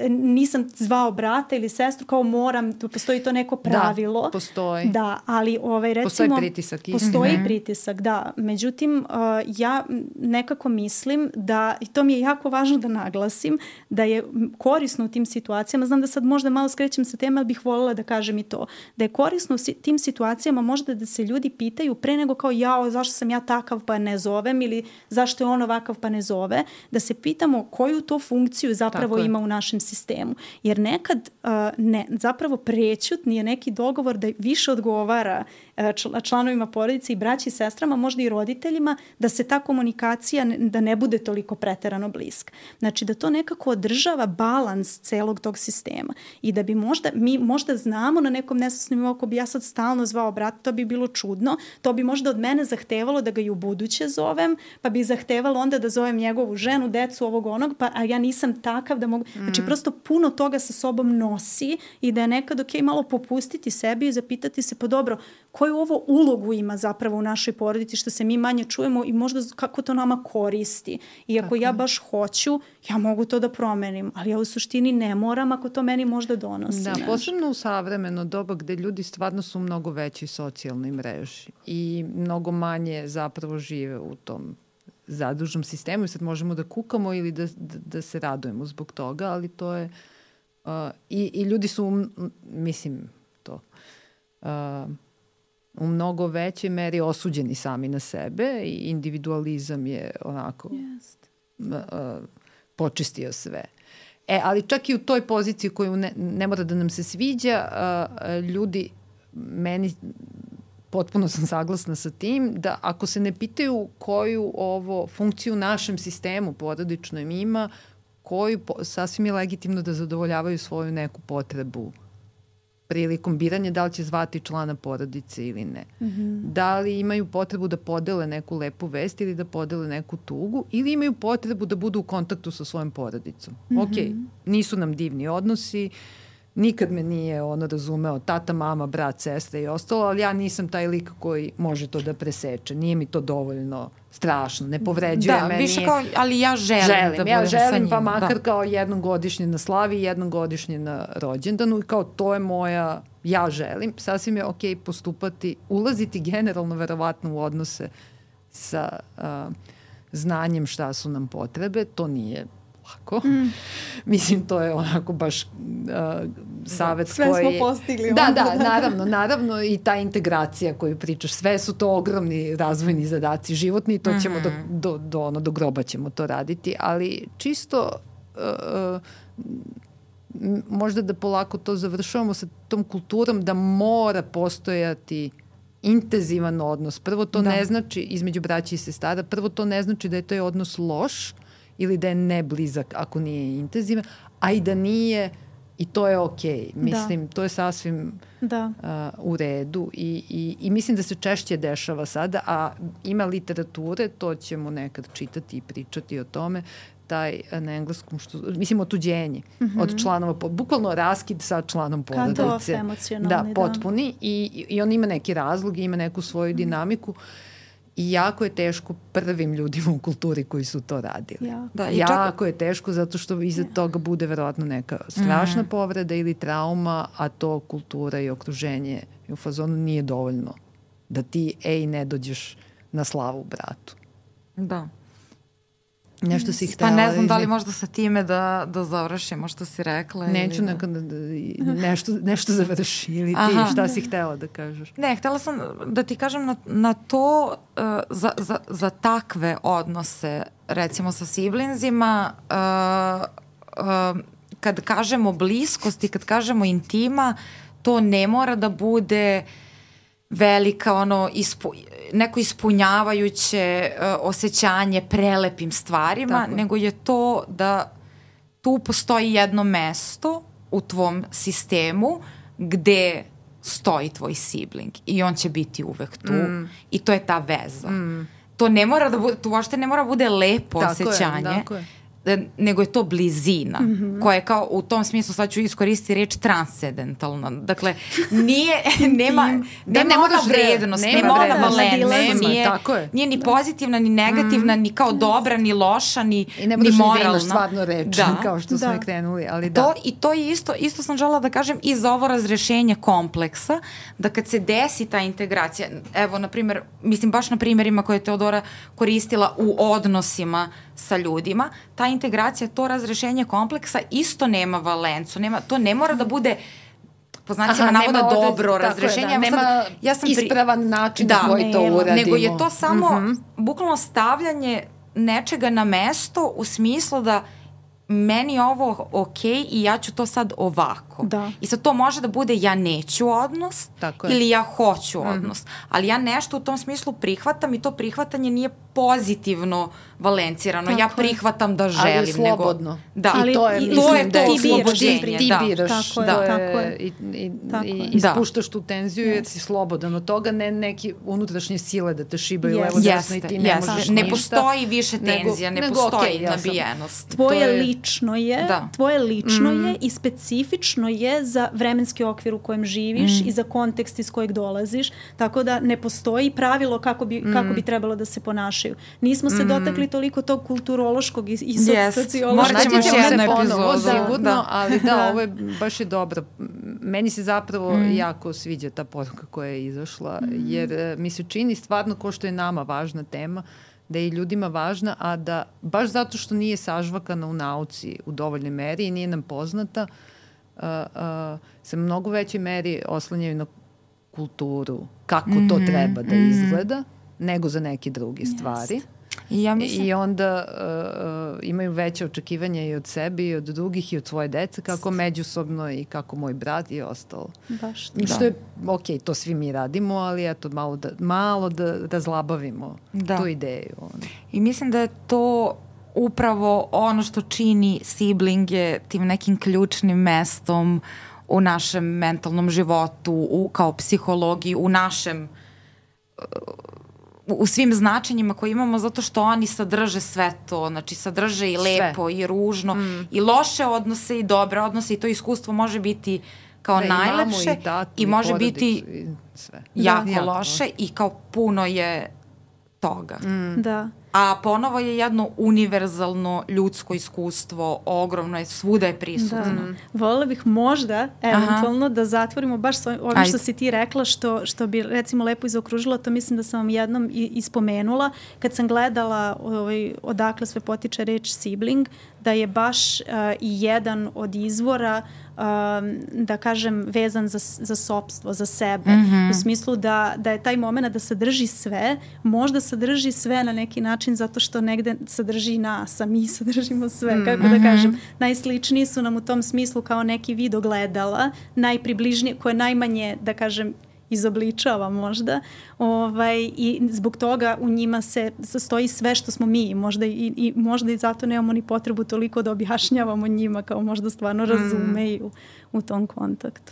nisam zvao brata ili sestru, kao moram, postoji to neko pravilo. Da, postoji. Da, ali ovaj, recimo... Postoji pritisak. Postoji mm-hmm. pritisak, da. Međutim, uh, ja nekako mislim da, i to mi je jako važno da naglasim, da je korisno u tim situacijama, znam da sad možda malo skrećem sa teme, ali bih voljela da kažem i to, da je korisno u tim situacijama možda da se ljudi pitaju pre nego kao jao, zašto sam ja takav pa ne zovem ili zašto je on ovakav pa ne zove, da se pitamo koju to funkciju zapravo ima u našem sistemu. Jer nekad uh, ne, zapravo prećutni je neki dogovor da više odgovara uh, članovima porodice i braći i sestrama, možda i roditeljima, da se ta komunikacija ne, da ne bude toliko preterano bliska. Znači da to nekako održava balans celog tog sistema i da bi možda, mi možda znamo na nekom nesvesnom nivou, ako bi ja sad stalno zvao brata, to bi bilo čudno, to bi možda od mene zahtevalo da ga i u buduće zovem, pa bi zahtevalo onda da zovem njegovu ženu, decu, ovog onog, pa a ja nisam takav da mogu... Mm. Znači prosto puno toga sa sobom nosi i da je nekad ok malo popustiti sebi i zapitati se, pa dobro, koju ovo ulogu ima zapravo u našoj porodici, što se mi manje čujemo i možda kako to nama koristi. I ako Tako. ja baš hoću, ja mogu to da promenim, ali ja u suštini ne moram ako to meni možda donosi. Da, posebno u savremeno doba gde ljudi stvarno su mnogo veći socijalnoj mreži i mnogo manje zapravo žive u tom zadužnom sistemu i sad možemo da kukamo ili da, da, da se radujemo zbog toga, ali to je uh, i, i ljudi su, mislim, to uh, u mnogo većoj meri osuđeni sami na sebe i individualizam je onako uh, počistio sve. E, ali čak i u toj poziciji koju ne, ne mora da nam se sviđa, uh, ljudi, meni potpuno sam saglasna sa tim, da ako se ne pitaju koju ovo funkciju u našem sistemu porodičnom ima, koju sasvim je legitimno da zadovoljavaju svoju neku potrebu prilikom biranja da li će zvati člana porodice ili ne. Mm-hmm. Da li imaju potrebu da podele neku lepu vest ili da podele neku tugu ili imaju potrebu da budu u kontaktu sa svojom porodicom. Mm-hmm. Ok, nisu nam divni odnosi, nikad me nije ono razumeo tata, mama, brat, sestra i ostalo, ali ja nisam taj lik koji može to da preseče. Nije mi to dovoljno strašno, ne povređuje da, me. Da, više kao, ali ja želim, želim da budem ja želim, sa njim. Pa makar da. kao jednom godišnje na slavi, jednom godišnje na rođendanu i kao to je moja, ja želim. Sasvim je ok postupati, ulaziti generalno verovatno u odnose sa uh, znanjem šta su nam potrebe. To nije lako. Mm. Mislim, to je onako baš uh, savjet sve koji... Sve smo postigli. Da, da, naravno, naravno i ta integracija koju pričaš, sve su to ogromni razvojni zadaci životni i to mm-hmm. ćemo do, do, do, ono, do groba ćemo to raditi, ali čisto uh, možda da polako to završavamo sa tom kulturom da mora postojati intenzivan odnos. Prvo to da. ne znači, između braća i sestara, prvo to ne znači da je taj odnos loš, ili da je neblizak ako nije intenzivan, a i da nije, i to je okej. Mislim, da. to je sasvim da. Uh, u redu i, i, i mislim da se češće dešava sada, a ima literature, to ćemo nekad čitati i pričati o tome, taj na engleskom, što, mislim, otuđenje mm-hmm. od članova, bukvalno raskid sa članom porodice. Cut-off emocionalni, da. potpuni da. I, i on ima neki razlog, ima neku svoju mm-hmm. dinamiku. I jako je teško prvim ljudima u kulturi koji su to radili. Ja. Da, i jako čak... je teško zato što iza ja. toga bude verovatno neka strašna mm. povreda ili trauma, a to kultura i okruženje i u fazonu nije dovoljno da ti, ej, ne dođeš na slavu bratu. Da. Nešto si htela. Pa ne znam da li možda sa time da, da završimo što si rekla. Neću ili nekada da, nešto, nešto završi ili ti Aha. šta si htela da kažeš. Ne, htela sam da ti kažem na, na to uh, za, za, za takve odnose recimo sa siblingzima uh, uh, kad kažemo bliskost i kad kažemo intima, to ne mora da bude velika ono ispu, neko ispunjavajuće uh, osjećanje prelepim stvarima, tako, nego je to da tu postoji jedno mesto u tvom sistemu gde stoji tvoj sibling i on će biti uvek tu mm. i to je ta veza. Mm. To ne mora da bude, to uopšte ne mora da bude lepo tako osjećanje. Je, tako je. Nego je to blizina, mm-hmm. koja je kao u tom smislu, sad ću iskoristiti reč transcendentalna. Dakle, nije, nema, da, nema ona vrednost, nema, nema ona valencija, nije, nije ni pozitivna, ni negativna, mm. ni kao dobra, ni loša, ni, I ne ni moralna. I ne stvarno reč, da. kao što da. smo krenuli, ali da. To, I to je isto, isto sam žela da kažem i za ovo razrešenje kompleksa, da kad se desi ta integracija, evo, na primjer, mislim baš na primjerima koje je Teodora koristila u odnosima sa ljudima, ta integracija, to razrešenje kompleksa isto nema valencu, nema, to ne mora da bude po znacima navoda dobro od, razrešenje. Da, nema sad, ja sam pri... ispravan način da, na koji to uradimo. Nego je to samo mm-hmm. bukvalno stavljanje nečega na mesto u smislu da meni je ovo okej i ja ću to sad ovako. Da. I sad to može da bude ja neću odnos ili ja hoću mm. odnos. Ali ja nešto u tom smislu prihvatam i to prihvatanje nije pozitivno valencirano. Tako ja prihvatam da želim. Ali je slobodno. Nego, da. Ali I to je, i, to, je to ti oslobođenje. Ti biraš. Tako da. je. Tako je. I, i, tako i ispuštaš tu tenziju yes. jer si slobodan od toga, ne neki unutrašnje sile da te šibaju yes. levo desno i ti ne yes. možeš ništa. Ne postoji više tenzija, ne nego, postoji okay, nabijenost. Tvoje lično je, da. tvoje lično mm. je i specifično je za vremenski okvir u kojem živiš mm. i za kontekst iz kojeg dolaziš, tako da ne postoji pravilo kako bi, mm. kako bi trebalo da se ponašaju. Nismo se mm. dotakli toliko tog kulturološkog i, i yes. sociološkog. Morat ćemo još jednu epizodu. Sigurno, da. ali da, ovo je baš je dobro. Meni se zapravo mm. jako sviđa ta poruka koja je izašla, mm. jer mi se čini stvarno ko što je nama važna tema, da je i ljudima važna, a da baš zato što nije sažvakana u nauci u dovoljnoj meri i nije nam poznata, uh, uh, se mnogo većoj meri oslanjaju na kulturu, kako mm-hmm. to treba da izgleda, nego za neke druge yes. stvari. I, ja mislim... I onda uh, imaju veće očekivanja i od sebe i od drugih i od svoje dece, kako međusobno i kako moj brat i ostalo. Baš. I što je, ok, to svi mi radimo, ali eto, malo da, malo da razlabavimo da. tu ideju. Ono. I mislim da je to upravo ono što čini siblinge tim nekim ključnim mestom u našem mentalnom životu, u, kao psihologiji, u našem u svim značenjima koje imamo, zato što oni sadrže sve to, znači sadrže i lepo sve. I ružno mm. i loše odnose i dobre odnose i to iskustvo može biti kao da, najlepše i, tatu, i, i može biti i sve. jako da, loše jako. I kao puno je toga. Mm. Da. A ponovo je jedno univerzalno ljudsko iskustvo, ogromno je, svuda je prisutno. Da. Volela bih možda, eventualno, Aha. da zatvorimo baš ovim što si ti rekla, što, što bi recimo lepo izaokružila, to mislim da sam vam jednom i, ispomenula, kad sam gledala ovaj, odakle sve potiče reč sibling, da je baš uh, i jedan od izvora Um, da kažem vezan za, za sopstvo, za sebe. Mm-hmm. U smislu da, da je taj moment da sadrži sve, možda sadrži sve na neki način zato što negde sadrži nas, a mi sadržimo sve. Mm-hmm. Kako da kažem, najsličniji su nam u tom smislu kao neki vid ogledala, najpribližnije, koje najmanje, da kažem, izobličava možda. Ovaj, I zbog toga u njima se sastoji sve što smo mi. Možda i, i, možda i zato nemamo ni potrebu toliko da objašnjavamo njima kao možda stvarno razumeju mm. u tom kontaktu.